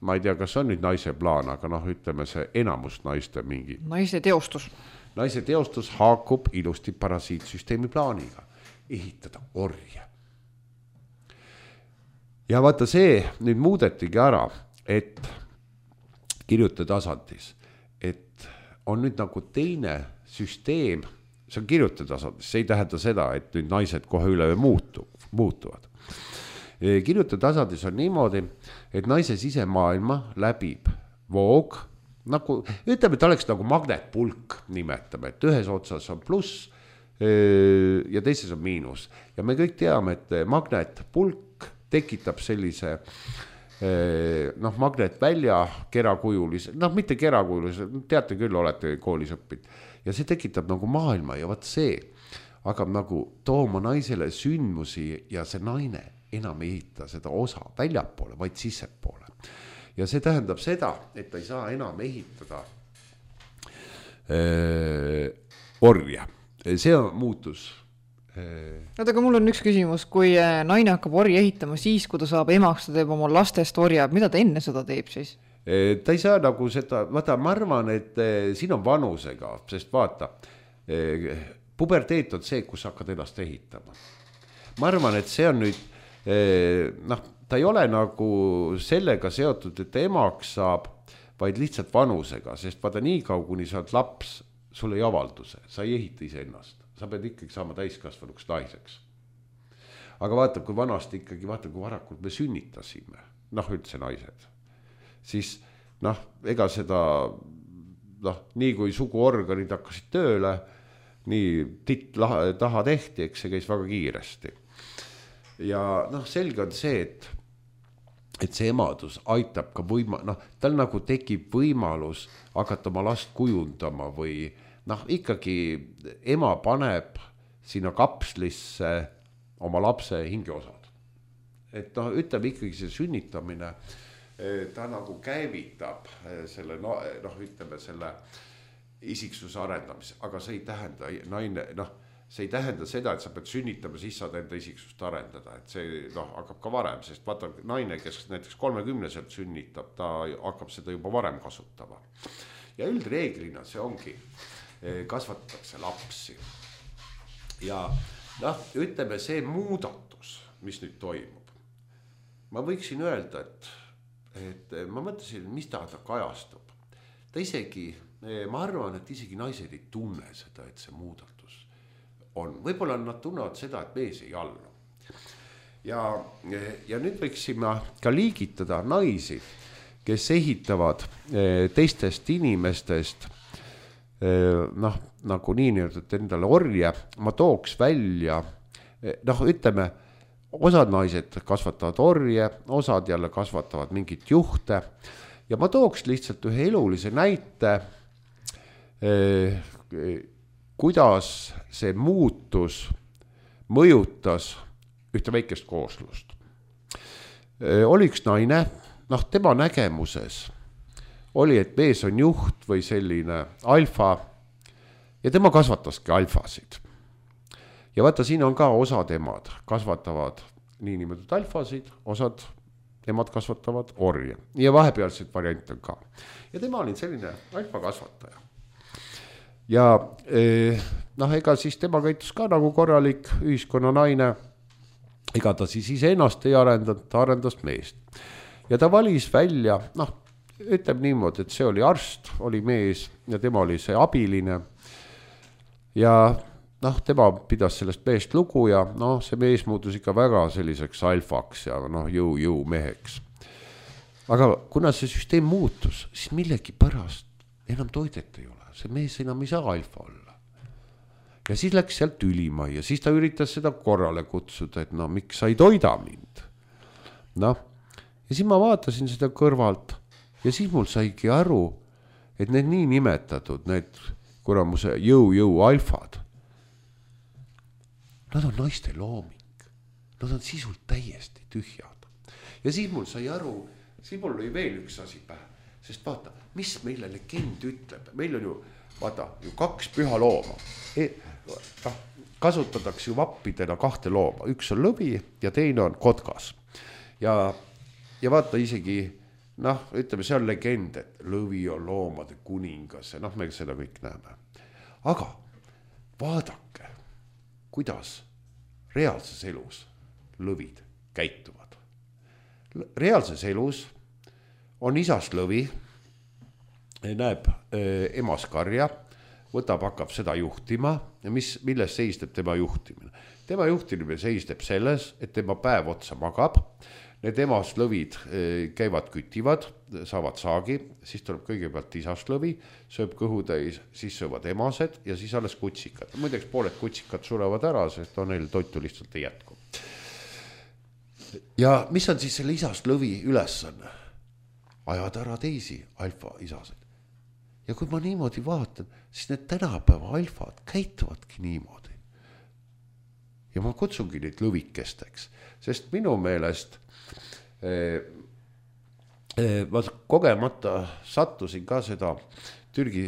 Ma ei tea, kas on nüüd naise plaan, aga ütleme see enamus naiste mingi. Naise teostus. Naise teostus haakub ilusti parasiitsüsteemi plaaniga. Ehitada orje. Ja vaata see nüüd muudetigi ära, et kirjutetasandis, et on nüüd nagu teine süsteem, see on kirjutetasandis, see ei tähenda seda, et nüüd naised kohe üle muutuvad. Kirjutetasandis on niimoodi, et naise sisemaailma läbib voog, nagu, ütleme, et oleks nagu magnetpulk, nimetame, et ühes otsas on pluss ja teises on miinus. Ja me kõik teame, et magnetpulk tekitab sellise magnetvälja kerakujulise, mitte kerakujulise, teate küll, olete koolis õppinud. Ja see tekitab nagu maailma ja vaat see hakkab nagu tooma naisele sündmusi ja see naine enam ei ehita seda osa väljapoole, vaid sissepoole. Ja see tähendab seda, et ta ei saa enam ehitada orja. See on muutus. Aga mul on üks küsimus, kui naine hakkab orja ehitama siis, kui ta saab emaks, ta teeb oma lastest orja, mida ta enne seda teeb siis? Ta ei saa nagu seda, vaata, ma arvan, et siin on vanusega, sest vaata, puberteet on see, kus hakkad ennast ehitama. Ma arvan, et see on nüüd, ta ei ole nagu sellega seotud, et emaks saab, vaid lihtsalt vanusega, sest vaata nii kaua, kuni sa oled laps, sul ei avalduse, sa ei ehita ise ennast, sa pead ikkagi saama täiskasvanuks naiseks. Aga vaata, kui vanasti ikkagi, vaata, kui varakult me sünnitasime, üldse naised, siis ega seda, nii kui suguorganid hakkasid tööle, nii taha tehti, eks see käis väga kiiresti. Ja selge on see, et see emadus aitab ka tal nagu tekib võimalus hakata oma last kujundama või ikkagi ema paneb sinna kapslisse oma lapse hingeosad. Et ütleme ikkagi see sünnitamine, ta nagu käivitab selle, ütleme selle isiksuse arendamise, aga see ei tähenda see ei tähenda seda, et sa pead sünnitama, siis saad enda isiksust arendada, et see hakkab ka varem, sest vaata naine, kes näiteks 30-selt sünnitab, ta hakkab seda juba varem kasutama. Ja üldreeglina see ongi, kasvatatakse lapsi. Ja ütleme see muudatus, mis nüüd toimub. Ma võiksin öelda, et ma mõtlesin, mis ta kajastub. Ta isegi, ma arvan, et isegi naised ei tunne seda, et see muudatus on. Võib-olla nad tunnevad seda, et mees ei allu. Ja nüüd võiksime ka liigitada naisi, kes ehitavad teistest inimestest nagu nii-öelda endale orje. Ma tooks välja, ütleme, osad naised kasvatavad orje, osad jälle kasvatavad mingit juhte. Ja ma tooks lihtsalt ühe elulise näite, kuidas see muutus mõjutas ühte väikest kooslust. Oli üks naine, tema nägemuses oli, et mees on juht või selline alfa ja tema kasvataski alfasid. Ja vaata, siin on ka osad emad kasvatavad niinimetatud alfasid, osad emad kasvatavad orje ja vahepealseid variante on ka. Ja tema oli selline alfa kasvataja. Ja ega siis tema käitus ka nagu korralik ühiskonna naine, ega ta siis ise ennast ei arendanud, ta arendas meest. Ja ta valis välja, ütleb niimoodi, et see oli arst, oli mees ja tema oli see abiline. Ja tema pidas sellest meest lugu ja see mees muutus ikka väga selliseks alfaks ja jõu meheks. Aga kuna see süsteem muutus, siis millegi pärast enam toidet ei ole. See mees enam ei saa alfa olla. Ja siis läks sealt ülima ja siis ta üritas seda korrale kutsuda, et miks sa ei toida mind. Ja siis ma vaatasin seda kõrvalt ja siis mul saigi aru, et need nii nimetatud, need kuramuse jõu alfad, nad on naiste looming, nad on sisult täiesti tühjad. Ja siis mul sai aru, siis mul oli veel üks asi pähe, sest vaata, mis meile legend ütleb, meil on ju, vaata, ju 2 püha looma, kasutatakse ju vappidena 2 looma, üks on lõvi ja teine on kotkas. Ja vaata isegi, ütleme, see on legend, et lõvi on loomade kuningas ja me seda kõik näeme. Aga vaadake, kuidas reaalses elus lõvid käituvad. Reaalses elus on isast lõvi, näeb emas karja, hakkab seda juhtima ja milles seisneb tema juhtimine. Tema juhtimine seisneb selles, et tema päev otsa magab, need emast lõvid käivad kütivad, saavad saagi, siis tuleb kõigepealt isast lõvi, sööb kõhutäis, siis söövad emased ja siis alles kutsikad. Muideks pooled kutsikad surevad ära, sest neil toitu lihtsalt ei jätku. Ja mis on siis selle isast lõvi ülesanne? Ajada ära teisi alfa isaseid. Ja kui ma niimoodi vaatan, siis need tänapäeva alfad käituvadki niimoodi. Ja ma kutsungi neid lõvikesteks, sest minu meelest ma kogemata sattusin ka seda Türgi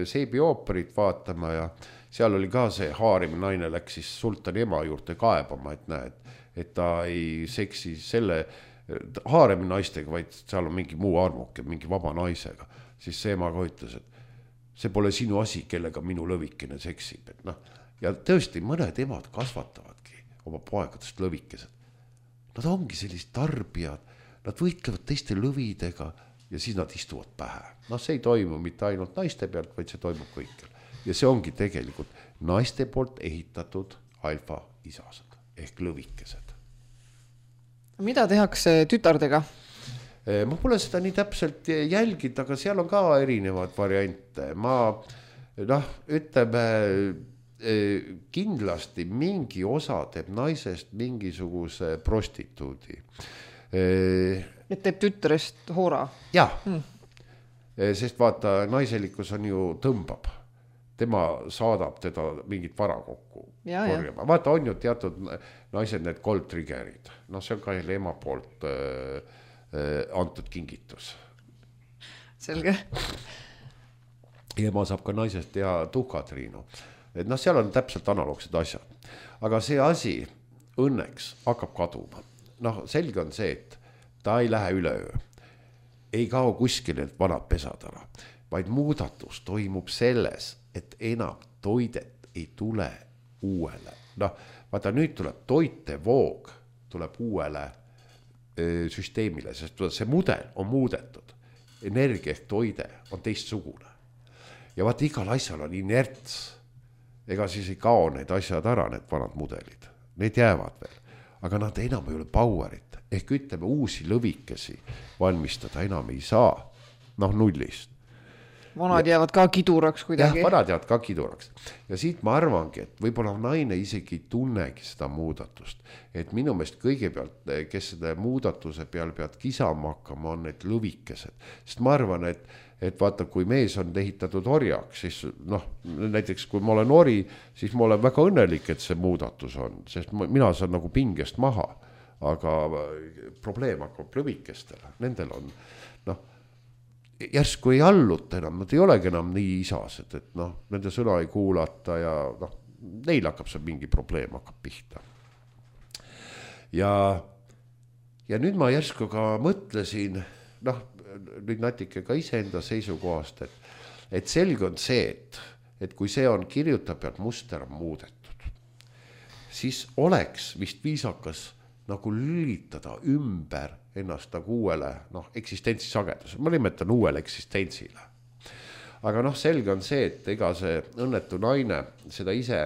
seebiooperit vaatama ja seal oli ka see haarim naine läks siis sultani ema juurde kaebama, et näed, et ta ei seksi selle haaremi naistega, vaid seal on mingi muu armuke, mingi vaba naisega. Siis see ema ka ütles, et see pole sinu asi, kellega minu lõvikene seksib. Ja tõesti, mõned emad kasvatavadki oma poegadest lõvikesed. Nad ongi sellised tarbijad, nad võitlevad teiste lõvidega ja siis nad istuvad pähe. See ei toimu mitte ainult naiste pealt, vaid see toimub kõikjal. Ja see ongi tegelikult naiste poolt ehitatud alfa isased ehk lõvikesed. Mida tehakse tütardega? Ma pole seda nii täpselt jälginud, aga seal on ka erinevad variante. Ma ütleme, kindlasti mingi osa teeb naisest mingisuguse prostituudi. Et teeb tütrest hoora? Jah, sest vaata, naiselikkus on ju tõmbab. Tema saadab teda mingit vara kokku korjama. Vaata, on ju teatud naised need gold triggerid. See on ka ema poolt antud kingitus. Selge. Ja ma saab ka naisest teha tuhkatriinu. Et seal on täpselt analoogsed asjad. Aga see asi õnneks hakkab kaduma. Selge on see, et ta ei lähe üleöö. Ei kao kuskil need vanad pesad ära. Vaid muudatus toimub selles, et enam toidet ei tule uuele. Vaata, nüüd tuleb toitevoog, tuleb uuele süsteemile, sest see mudel on muudetud. Energia ehk toide on teistsugune. Ja vaata, igal asjal on inerts. Ega siis ei kao need asjad ära, need vanad mudelid. Need jäävad veel. Aga nad enam ei ole powerit. Ehk ütleme, uusi lõvikesi valmistada enam ei saa. Nullist. Vanad jäävad ka kiduraks kuidagi. Jah, vanad jäävad ka kiduraks. Ja siit ma arvangi, et võib-olla naine isegi tunnegi seda muudatust. Et minu meelest kõigepealt, kes seda muudatuse peal pead kisama hakkama, on need lõvikesed. Sest ma arvan, et vaata, kui mees on ehitatud orjaks, siis näiteks kui ma olen ori, siis ma olen väga õnnelik, et see muudatus on. Sest mina saan nagu pingest maha. Aga probleem hakkab lõvikestele. Nendel on, järsku ei alluta enam, nad ei olegi enam nii isased, et nende sõna ei kuulata ja neil hakkab see mingi probleem hakkab pihta. Ja nüüd ma järsku ka mõtlesin, nüüd natuke ka iseenda seisukohast, et selge on see, et kui see on kirjutab pealt muster on muudetud, siis oleks vist viisakas nagu lülitada ümber ennast nagu uuele eksistentsi sagedus. Ma nimetan uuele eksistentsile. Aga selge on see, et ega see õnnetu naine seda ise,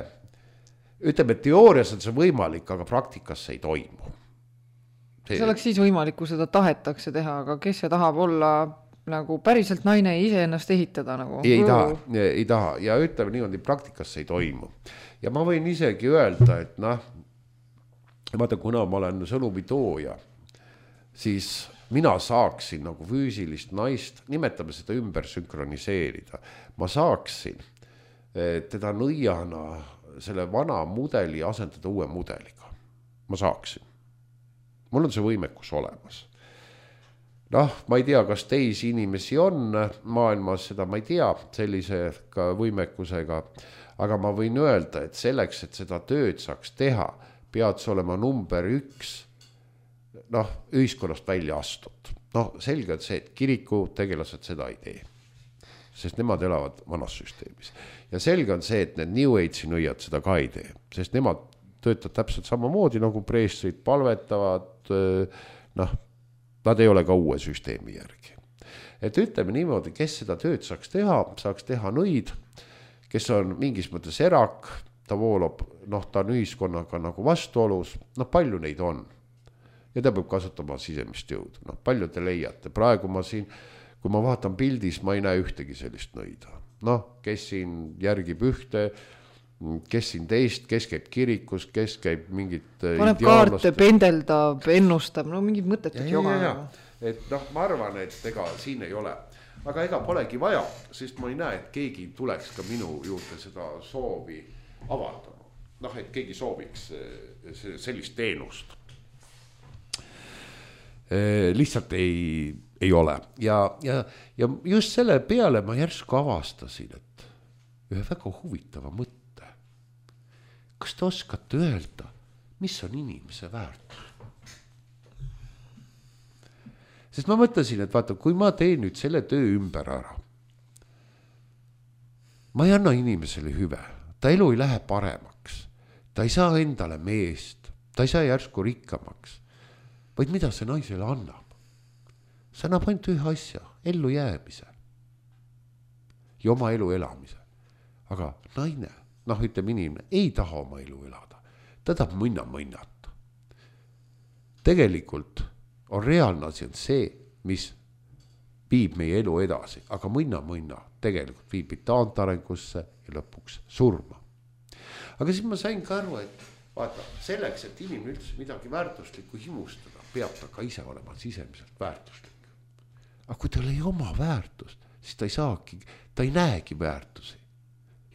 ütleme, et teoorias on see võimalik, aga praktikas see ei toimu. See oleks siis võimalik, kui seda tahetakse teha, aga kes see tahab olla nagu päriselt naine ise ennast ehitada? Nagu? Ei taha. Ja ütleme niimoodi, praktikas see ei toimu. Ja ma võin isegi öelda, et vaata, kuna ma olen sõnumitooja, siis mina saaksin nagu füüsilist naist, nimetame seda ümber sünkroniseerida. Ma saaksin teda nõiana selle vana mudeli asendada uue mudeliga. Ma saaksin. Mul on see võimekus olemas. Noh, ma ei tea, kas teisi inimesi on maailmas, seda ma ei tea sellise ka võimekusega, aga ma võin öelda, et selleks, et seda tööd saaks teha, pead see olema number 1, noh, ühiskonnast välja astud. Noh, selge on see, et kiriku tegelased seda ei tee, sest nemad elavad vanas süsteemis. Ja selge on see, et need New Age'i nõiad seda ka ei tee, sest nemad töötavad täpselt samamoodi nagu preestrid, palvetavad, noh, nad ei ole ka uue süsteemi järgi. Et ütleme niimoodi, kes seda tööd saaks teha nõid, kes on mingis mõttes erak, ta voolab, noh, ta on ühiskonnaga nagu vastuolus, noh, palju neid on. Ja ta peab kasutama sisemist jõudu, noh, palju te leiate. Praegu ma siin, kui ma vaatan pildis, ma ei näe ühtegi sellist nõida. Noh, kes siin järgib ühte, kes siin teist, kes käib kirikus, kes käib mingit paneb kaarte, pendeldab, ennustab, no mingid mõttetud joga. Et noh, ma arvan, et ega siin ei ole. Aga ega polegi vaja, sest ma ei näe, et keegi tuleks ka minu juurde seda soovi avaldama. Noh, et keegi sooviks sellist teenust. Lihtsalt ei ole. Ja just selle peale ma järsku avastasin, et ühe väga huvitava mõtte. Kas te oskate öelda, mis on inimese väärtus? Sest ma mõtlesin, et vaata, kui ma teen nüüd selle töö ümber ära, ma ei anna inimesele hüve, ta elu ei lähe paremaks, ta ei saa endale meest, ta ei saa järsku rikkamaks, vaid mida see naisele annab? See annab ainult ühe asja, ellu jäämise ja oma elu elamise. Aga naine, noh, ütleme inimene, ei taha oma elu elada, ta tahab mõnnata. Tegelikult on reaalne asi on see, mis viib meie elu edasi, aga mõnna tegelikult viib taantarengusse ja lõpuks surma. Aga siis ma sain ka aru, et vaata, selleks, et inimene üldse midagi väärtuslikku himustada, peab ta ka ise olema sisemiselt väärtuslik. Aga kui tal ei oma väärtust, siis ta ei saagi, ta ei näegi väärtusi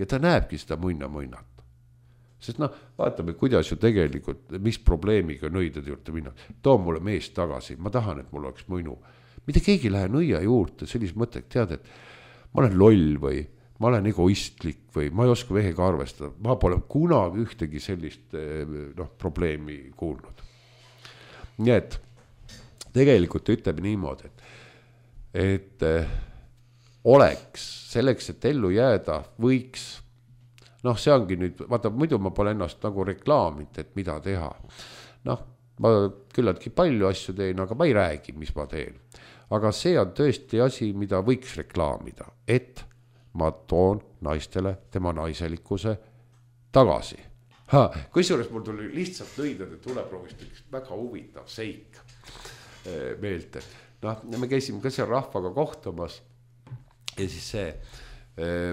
ja ta näebki seda mõnnata. Sest noh, vaatame, kuidas ju tegelikult, mis probleemiga nõidade juurde minna. Too mulle mees tagasi, ma tahan, et mul oleks mõnu. Mida keegi lähe nõia juurde, sellise mõttega tead, et ma olen loll või ma olen egoistlik või ma ei oska vehega arvestada. Ma pole kunagi ühtegi sellist probleemi kuulnud. Nii et tegelikult ütleme niimoodi, et oleks selleks, et ellu jääda, võiks. Noh, see ongi nüüd, vaata, muidu ma pole ennast nagu reklaamit, et mida teha. Noh, ma küllaltki palju asju teen, aga ma ei räägi, mis ma teen. Aga see on tõesti asi, mida võiks reklaamida, et ma toon naistele tema naiselikkuse tagasi. Kusjuures mul tuli lihtsalt nõidade tuleproovist üks väga huvitav seik meelde. Noh, me käisime ka seal rahvaga kohtumas ja siis see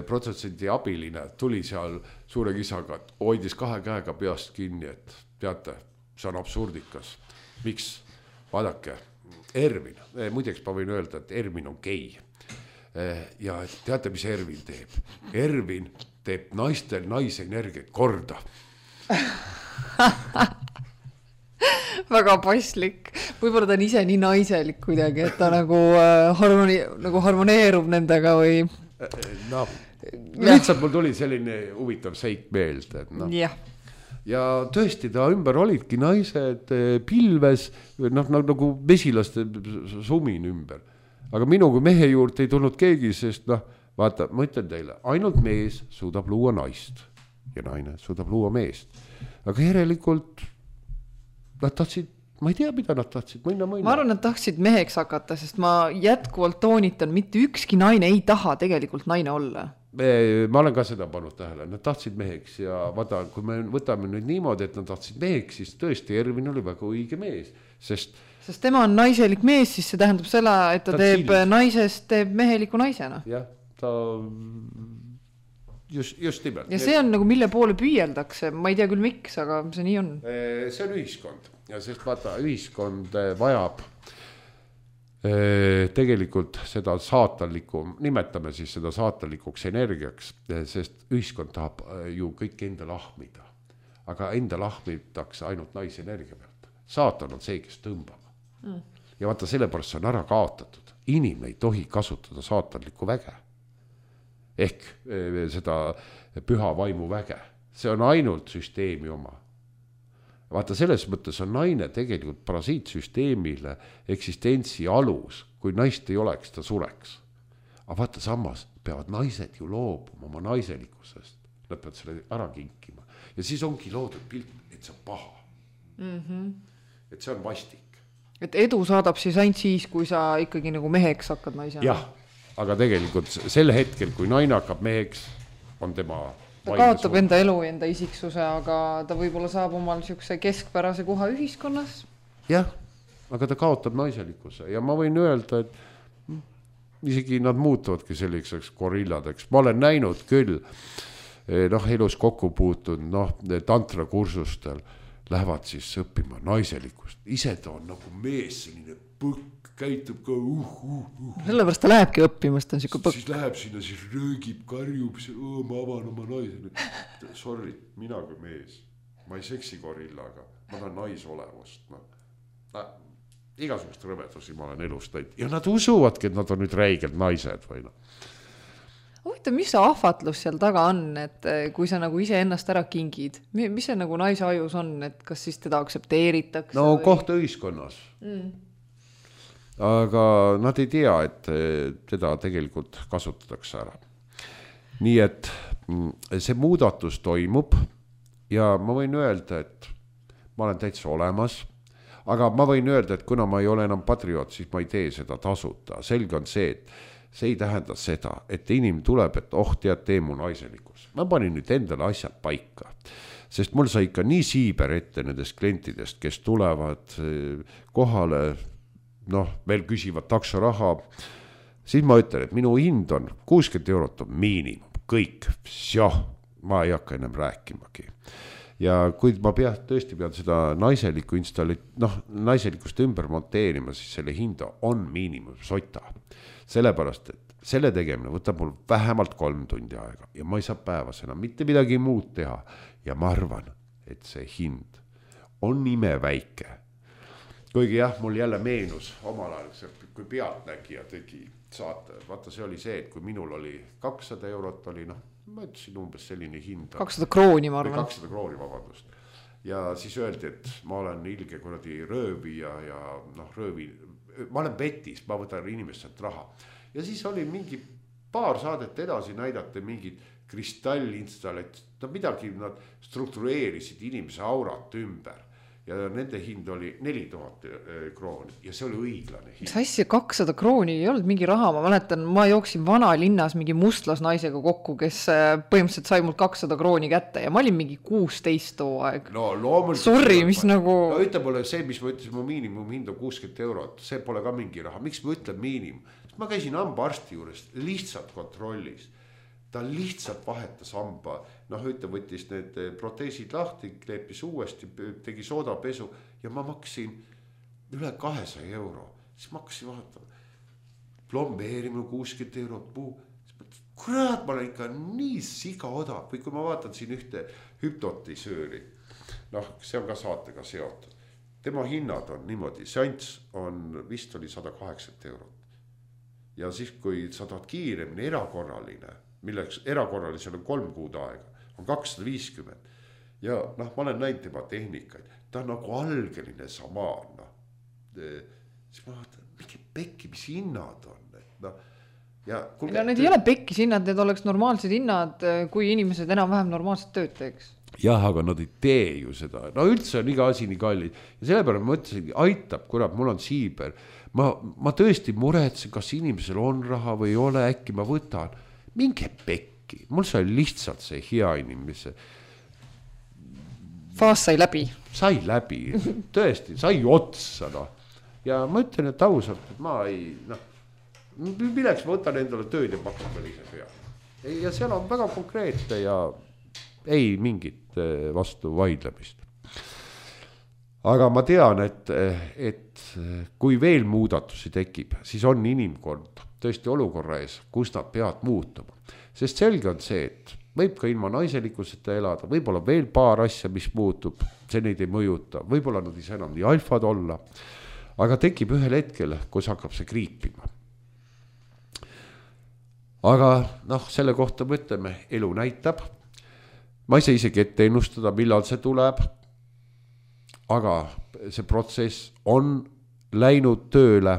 protsessendi abiline tuli seal suure kisaga, et hoidis 2 käega peast kinni, et teate, see on absurdikas. Miks? Vaadake, Ervin, muideks ma võin öelda, et Ervin on gei. Ja teate, mis Ervin teeb? Ervin teeb naistel naise energiat korda. Väga paslik. Võib-olla ta on ise nii naiselik kuidagi, et ta nagu harmoneerub nendega või... No, lihtsalt mul tuli selline huvitav seik meelde. No. Ja tõesti ta ümber olidki naised pilves, nagu mesilaste sumin ümber. Aga minu kui mehe juurde ei tulnud keegi, sest vaata, ma ütlen teile, ainult mees suudab luua naist ja naine suudab luua meest. Aga järelikult nad tahtsid, ma ei tea, mida nad tahtsid, mõnna. Ma arvan, nad tahtsid meheks hakata, sest ma jätkuvalt toonitan, mitte ükski naine ei taha tegelikult naine olla. Ma olen ka seda pannud tähele, nad tahtsid meheks ja vaata, kui me võtame nüüd niimoodi, et nad tahtsid meheks, siis tõesti Ervin oli väga õige mees, sest tema on naiselik mees, siis see tähendab seda, et ta teeb naisest, teeb meheliku naisena. Jah, ta just nimelt. Ja see on nagu mille poole püüeldakse, ma ei tea küll miks, aga see nii on. See on ühiskond ja sest vaata, ühiskond vajab tegelikult seda saatanlikku, nimetame siis seda saatanlikuks energiaks, sest ühiskond tahab ju kõik enda lahmida. Aga enda lahmitakse ainult naisenergia pealt. Saatan on see, kes tõmbab. Ja vaata, sellepärast see on ära kaotatud. Inimene ei tohi kasutada saatanlikku väge. Ehk seda püha vaimu väge. See on ainult süsteemi oma. Vaata, selles mõttes on naine tegelikult parasiitsüsteemile eksistentsi alus. Kui naist ei oleks, ta sureks. Aga vaata, samas peavad naised ju loobuma oma naiselikkusest. Nad peavad selle ära kinkima. Ja siis ongi loodud pilt, et see on paha. Et see on vastik. Et edu saadab siis ainult siis, kui sa ikkagi nagu meheks hakkad naisena. Jah, aga tegelikult sel hetkel, kui naine hakkab meheks, on tema ta kaotab enda elu ja enda isiksuse, aga ta võib-olla saab omal niisuguse keskpärase koha ühiskonnas. Jah, aga ta kaotab naiselikkuse ja ma võin öelda, et isegi nad muutuvadki selliseks gorilladeks. Ma olen näinud küll, elus kokku puutunud, tantrakursustel lähevad siis õppima naiselikkust. Ise ta on nagu mees, selline põkk, käitub ka Sellepärast ta lähebki õppimast, on siuke põkk. Siis läheb sinna, siis röögib, karjub, ma avan oma naise. Sorry, mina kui mees. Ma ei seksi gorillaga, ma tahan naisolevust. Igasugust rõvedusi ma olen elust näinud. Ja nad usuvadki, et nad on nüüd räigelt naised või Huvitav, mis see ahvatlus seal taga on, et kui sa nagu ise ennast ära kingid, mis see nagu naise ajus on, et kas siis teda aksepteeritakse? No koht ühiskonnas. Aga nad ei tea, et teda tegelikult kasutatakse ära. Nii et see muudatus toimub ja ma võin öelda, et ma olen täitsa olemas, aga ma võin öelda, et kuna ma ei ole enam patrioot, siis ma ei tee seda tasuta. Selge on see, et see ei tähenda seda, et inimene tuleb, et tead, tee mu naiselikus. Ma panin nüüd endale asjad paika, sest mul sai ikka nii siiber ette nendest klientidest, kes tulevad kohale, veel küsivad taksoraha, siis ma ütlen, et minu hind on 60 eurot on miinimum, kõik, ma ei hakka ennem rääkimagi. Ja kui ma tõesti pean seda naiselikust ümber monteerima, siis selle hinda on miinimum sota. Sellepärast, et selle tegemine võtab mul vähemalt 3 tundi aega ja ma ei saa päevas enam mitte midagi muud teha. Ja ma arvan, et see hind on imeväike. Kuigi jah, mul jälle meenus omal ajal, kui pealtnägija tegi saate. Vaata, see oli see, et kui minul oli 200 eurot oli, ma ütlesin umbes selline hind. 200 krooni, ma arvan. 200 krooni, vabandust. Ja siis öeldi, et ma olen ilge kuradi röövija ja ma olen petis, ma võtan inimestelt raha. Ja siis oli mingi paar saadet edasi näidata mingid kristallinstallatsioonid, midagi nad struktureerisid inimese aurat ümber. Ja nende hind oli 4000 krooni ja see oli õiglane hind. See asja 200 krooni ei olnud mingi raha, ma mäletan, ma jooksin vanalinnas mingi mustlasnaisega kokku, kes põhimõtteliselt sai mul 200 krooni kätte ja ma olin mingi 16 too aeg. Sorry, mis nagu... Ütle pole see, mis ma ütlesin, mu miinimum hind on 60 eurot, see pole ka mingi raha. Miks ma ütlen miinimum? Ma käisin hambaarsti juures lihtsalt kontrollis. Ta lihtsalt vahetas hamba, võttis need proteesid lahti, kleepis uuesti, tegi soodapesu ja ma maksin üle 200 euro. Siis ma hakkasin vaatama, plombeerimine 60 eurot puu. Kurat, ma olen ikka nii siga odav. Või kui ma vaatan siin ühte hüpnotisööri, see on ka saatega seotud. Tema hinnad on niimoodi, seanss on vist oli 180 eurot. Ja siis, kui sa tahad kiiremini erakorraline, milleks erakorralisel on 3 kuud aega, on 250. Ja ma olen näinud tema tehnikaid. Ta on nagu algeline samaan. Siis ma vaatan, mingi pekki, mis hinnad on. Ja need ei ole pekkis hinnad, need oleks normaalsed hinnad, kui inimesed enam-vähem normaalset tööd teeks. Jah, aga nad ei tee ju seda. Üldse on iga asi nii kallid. Ja sellepärast ma mõtlesin, aitab, kurat, mul on siiber. Ma tõesti muretsen, kas inimesel on raha või ei ole, äkki ma võtan. Minge pekki. Mul sai lihtsalt see hea inimese. Faas sai läbi. Sai läbi. Tõesti, sai otsa. Ja ma ütlen, et ausalt, et ma ei... milleks ma võtan endale tööd ja pakun veel ise pea. Ja seal on väga konkreetne ja ei mingit vastu vaidlemist. aga ma tean, et kui veel muudatusi tekib, siis on inimkond tõesti olukorra ees, kus nad peavad muutuma. Sest selge on see, et võib ka ilma naiselikkuseta elada, võib-olla veel paar asja, mis muutub, see neid ei mõjuta, võib-olla nad ei saa enam nii alfad olla, aga tekib ühel hetkel, kus hakkab see kriipima. Aga selle kohta me ütleme, elu näitab, ma ei saa isegi ette ennustada, millal see tuleb, aga see protsess on läinud tööle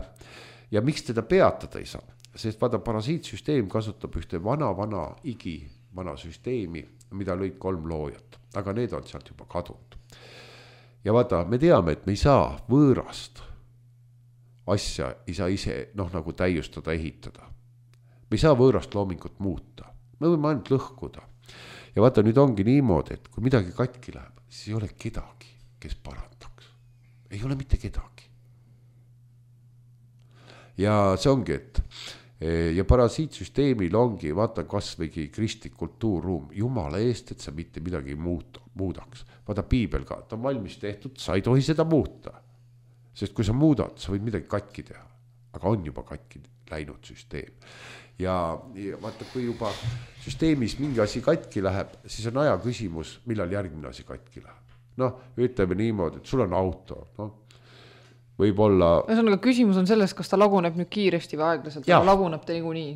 ja miks teda peatada ei saa, sest vaata parasiitsüsteem kasutab ühte vana süsteemi, mida lõid 3 loojat, aga need on sealt juba kadunud. Ja vaata, me teame, et me ei saa võõrast asja, ei saa ise nagu täiustada, ehitada. Me ei saa võõrast loomingut muuta, me võime ainult lõhkuda. Ja vaata, nüüd ongi niimoodi, et kui midagi katki läheb, siis ei ole kedagi, kes parandaks. Ei ole mitte kedagi. Ja see ongi, et ja parasiitsüsteemil ongi, vaata kasvõigi kristlik kultuurruum, jumala eest, et sa mitte midagi muudaks. Vaata piibel ka, ta on valmis tehtud, sa ei tohi seda muuta. Sest kui sa muudad, sa võid midagi katki teha, aga on juba katki läinud süsteem. Ja vaata, kui juba süsteemis mingi asi katki läheb, siis on aja küsimus, millal järgmine asi katki läheb. Ütleme niimoodi, et sul on auto, võib-olla... Ühesõnaga, küsimus on selles, kas ta laguneb nüüd kiiresti või aeglaselt, aga laguneb ta niikuinii.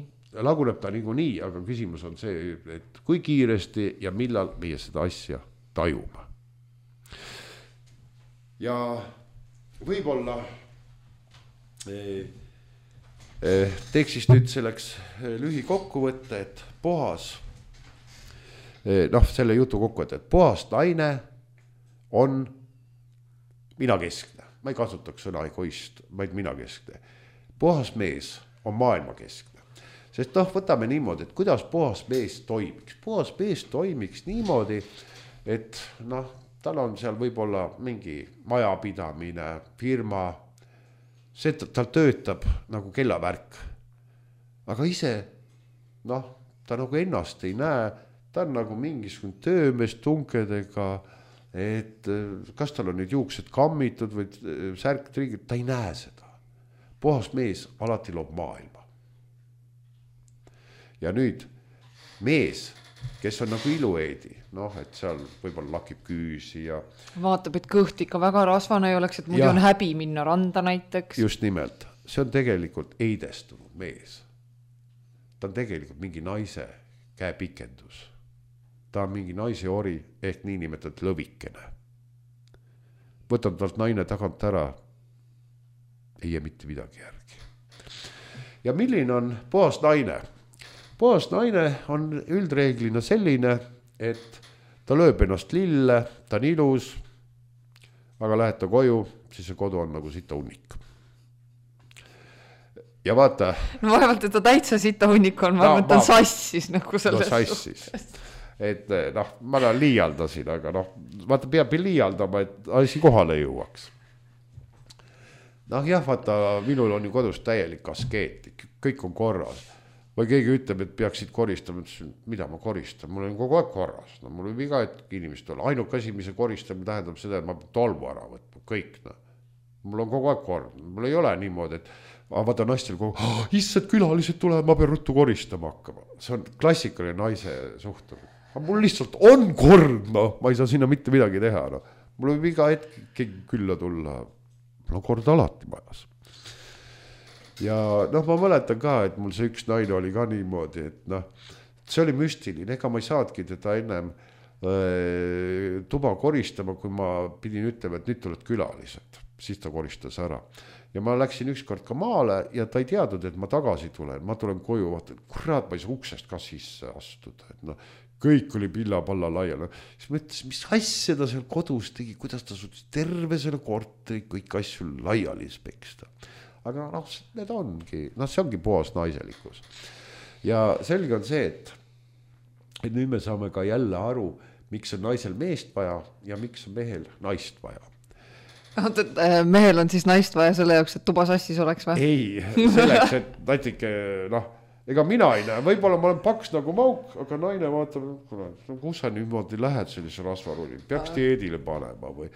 Laguneb ta niikuinii, aga küsimus on see, et kui kiiresti ja millal meie seda asja tajume. Ja võib-olla teeks siis nüüd selleks lühikokkuvõtte, et puhas, selle jutu kokkuvõtte, et puhas naine on minakeskne. Ma ei kasutaks sõna egoist, vaid minakeskne. Puhas mees on maailmakeskne. Sest võtame niimoodi, et kuidas puhas mees toimiks. Puhas mees toimiks niimoodi, et tal on seal võib-olla mingi majapidamine, firma, see, tal töötab nagu kellavärk. Aga ise, ta nagu ennast ei näe, ta on nagu mingisugune töömees tunkedega, et kas tal on nüüd juuksed kammitud või särk trigid, ta ei näe seda. Puhas mees alati loob maailma. Ja nüüd mees, kes on nagu ilueedi, et seal võib-olla lakib küüsi ja... Vaatab, et kõht ikka väga rasvane ei oleks, et muidu on häbi minna randa näiteks. Just nimelt, see on tegelikult eidestunud mees. Ta on tegelikult mingi naise käepikendus. Ta on mingi naise ori ehk niinimetatud lõvikene. Võtab talt naine tagant ära, ei jää mitte midagi järgi. Ja milline on puhas naine? Puhas naine on üldreeglina selline, et ta lööb ennast lille, ta on ilus, aga lähed ta koju, siis see kodu on nagu sita hunnik. Ja vaata... vaevalt, et ta täitsa sita hunnik on, ma mõtlen sassis nagu selles sassis. Et ma liialdasin, aga vaata peab liialdama, et asi kohale jõuaks. Vaata, minul on ju kodus täielik askeet, kõik on korras. Või keegi ütleb, et peaksid koristama, mida ma koristan, mul on kogu aeg korras. Mul on iga hetk inimest olla, ainult asi, mis koristamine tähendab seda, et ma pean tolmu ära võtma, kõik. Mul on kogu aeg kord, mul ei ole niimoodi, et vaata naistel kogu, issad külalised tulevad, ma pean ruttu koristama hakkama. See on klassikaline naise suhtumine. Mul lihtsalt on kord, ma ei saa sinna mitte midagi teha. Mul võib iga hetk keegi külla tulla, mul on kord alati majas. Ja ma mäletan ka, et mul see üks naine oli ka niimoodi, et see oli müstiline, ega ma ei saadki teda ennem tuba koristama, kui ma pidin ütlema, et nüüd tuled külalised, siis ta koristas ära. Ja ma läksin ükskord ka maale ja ta ei teadnud, et ma tagasi tulen, ma tulen koju, vaata, kurat, ma ei saa uksest ka sisse astuda, et kõik oli pilla-palla laial. Siis mõtles, mis asja ta seal kodus tegi, kuidas ta suutis terve selle korteri, kõik asju laiali speksta. Aga need ongi, see ongi puhas naiselikkus. Ja selge on see, et nüüd me saame ka jälle aru, miks on naisel meest vaja ja miks on mehel naist vaja. Mehel on siis naist vaja selle jaoks, et tuba sassis oleks või? Ei, selleks, et natuke, ega mina ei näe, võib-olla ma olen paks nagu mauk, aga naine vaatab, kus sa niimoodi lähed sellise rasvaruli, peaks dieedile panema või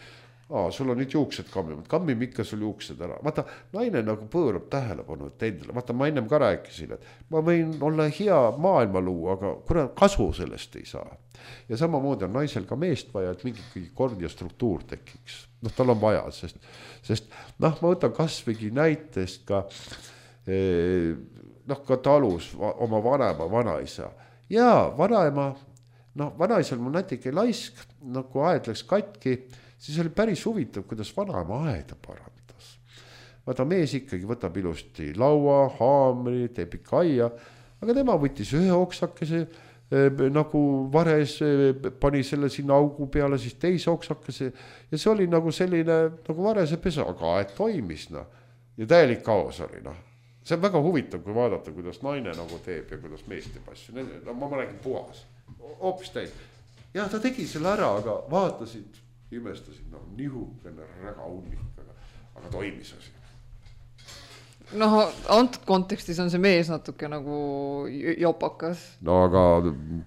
sul on nüüd juuksed kammimad, kammime ikka sul juuksed ära. Vaata, naine nagu pöörab tähelepanu endale. Vaata, ma ennem ka rääkisin, et ma võin olla hea maailma luua, aga kuna kasu sellest ei saa. Ja samamoodi on naisel ka meest vaja, et mingi kord ja struktuur tekiks. Tal on vaja, sest ma võtan kasvõigi näitest ka ka talus oma vanema, vanaisa. Ja vanaema, vanaisal mul natuke laisk, kui aed läks katki, siis oli päris huvitav, kuidas vanaema aeda parandas. Vaata, mees ikkagi võtab ilusti laua, haamri, teeb ikka aia, aga tema võttis ühe oksakese, nagu vares, pani selle sinna augu peale, siis teise oksakese ja see oli nagu selline nagu varese pesa, aga aed toimis. Ja täielik kaos oli. See on väga huvitav, kui vaadata, kuidas naine nagu teeb ja kuidas mees teeb asju. Ma räägin puhas, hoopis täis. Ja ta tegi selle ära, aga vaatasid, imestasid, nihukene räga unnik, aga toimis asi. Antud kontekstis on see mees natuke nagu jopakas. Aga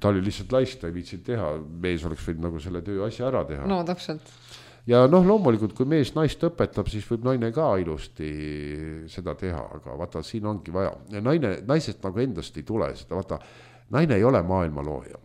ta oli lihtsalt laist, ta ei viitsid teha. Mees oleks võinud nagu selle töö asja ära teha. Täpselt. Ja loomulikult, kui mees naist õpetab, siis võib naine ka ilusti seda teha, aga vaata, siin ongi vaja. Ja naisest nagu endast ei tule seda, vaata, naine ei ole maailma looja.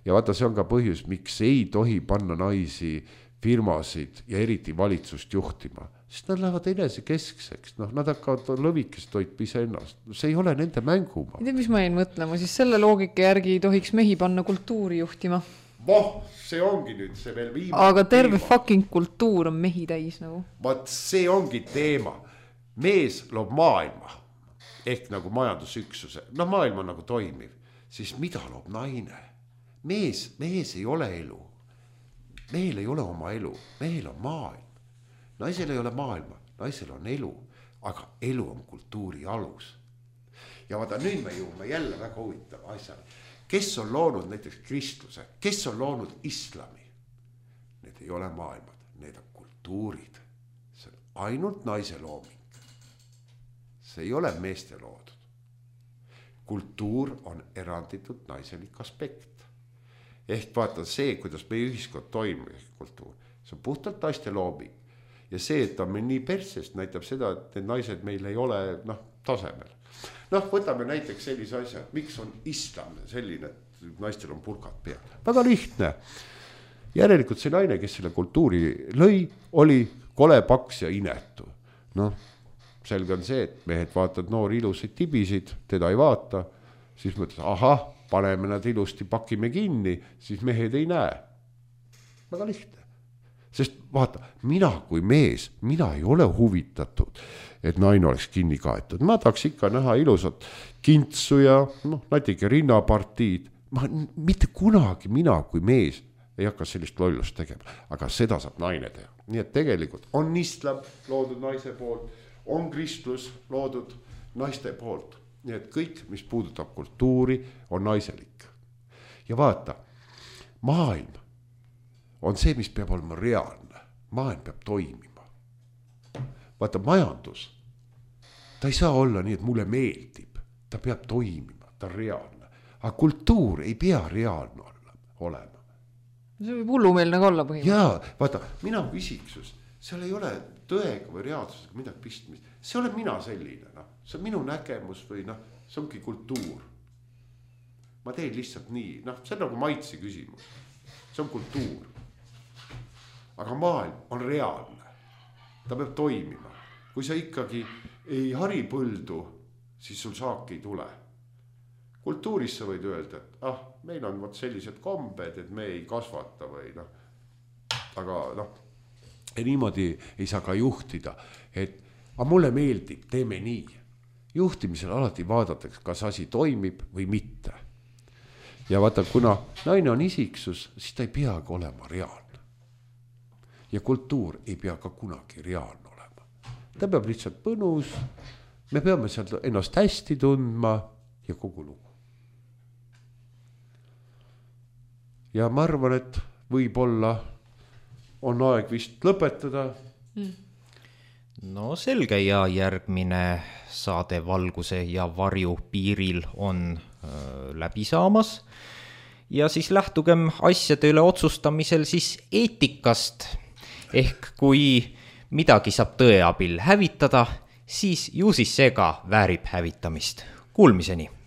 Ja vaata, see on ka põhjus, miks ei tohi panna naisi firmasid ja eriti valitsust juhtima. Sest nad lähevad enesekeskseks, nad hakkavad lõvikest toitma ise ennast. See ei ole nende mänguma. Ei tea, mis ma jäin mõtlema, siis selle loogika järgi ei tohiks mehi panna kultuuri juhtima. See ongi nüüd see veel viimane. Aga terve fucking kultuur on mehi täis nagu. See ongi teema. Mees loob maailma ehk nagu majandusüksuse. Maailm on nagu toimiv. Siis mida loob naine? Mees ei ole elu. Mehel ei ole oma elu. Mehel on maailm. Naisel ei ole maailma. Naisel on elu. Aga elu on kultuuri alus. Ja vaata, nüüd me jõuame jälle väga huvitava asjale. Kes on loonud näiteks kristluse? Kes on loonud islami? Need ei ole maailmad, need on kultuurid. See on ainult naise looming. See ei ole meeste loodud. Kultuur on eranditud naiselik aspekt. Ehk vaata see, kuidas meie ühiskond toimub kultuur. See on puhtalt naiste looming. Ja see, et ta meil nii persest näitab seda, et need naised meil ei ole tasemel. Võtame näiteks sellise asja, miks on islam selline, et naistel on purkad peal. Väga lihtne. Järelikult see naine, kes selle kultuuri lõi, oli kole, paks ja inetu. Selge on see, et mehed vaatavad noori ilusaid tibisid, teda ei vaata, siis mõtled, paneme nad ilusti, pakime kinni, siis mehed ei näe. Väga lihtne. Sest vaata, mina kui mees, mina ei ole huvitatud, et naine oleks kinni kaetud. Ma tahaks ikka näha ilusat kintsu ja natuke rinnapartiid. Mitte kunagi mina kui mees ei hakka sellist lollust tegema, aga seda saab naine teha. Nii et tegelikult on islam loodud naise poolt, on kristlus loodud naiste poolt. Nii et kõik, mis puudutab kultuuri, on naiselik. Ja vaata, maailm on see, mis peab olema reaalne. Maailm peab toimima. Vaata, majandus, ta ei saa olla nii, et mulle meeldib. Ta peab toimima, ta on reaalne. Aga kultuur ei pea reaalne olema. See võib hullumeelne ka olla põhimõtteliselt. Jaa, vaata, mina kui isiksus, seal ei ole tõega või reaalsusega midagi pistmist. See olen mina selline, see on minu nägemus või see ongi kultuur. Ma teen lihtsalt nii, see on nagu maitse küsimus. See on kultuur. Aga maailm on reaalne. Ta peab toimima. Kui sa ikkagi ei hari põldu, siis sul saaki ei tule. Kultuuris sa võid öelda, et meil on sellised kombed, et me ei kasvata või aga niimoodi ei saa ka juhtida, et mulle meeldib, teeme nii. Juhtimisel alati vaadatakse, kas asi toimib või mitte. Ja vaata, kuna naine on isiksus, siis ta ei peagi olema reaalne. Ja kultuur ei pea ka kunagi reaalne olema. Ta peab lihtsalt põnus, me peame sealt ennast hästi tundma ja kogu lugu. Ja ma arvan, et võib-olla on aeg vist lõpetada. No selge, ja järgmine saade Valguse ja varju piiril on läbi saamas. Ja siis lähtugem asjade üle otsustamisel siis eetikast. ehk kui midagi saab tõe abil hävitada, siis ju siis see ka väärib hävitamist. Kuulmiseni!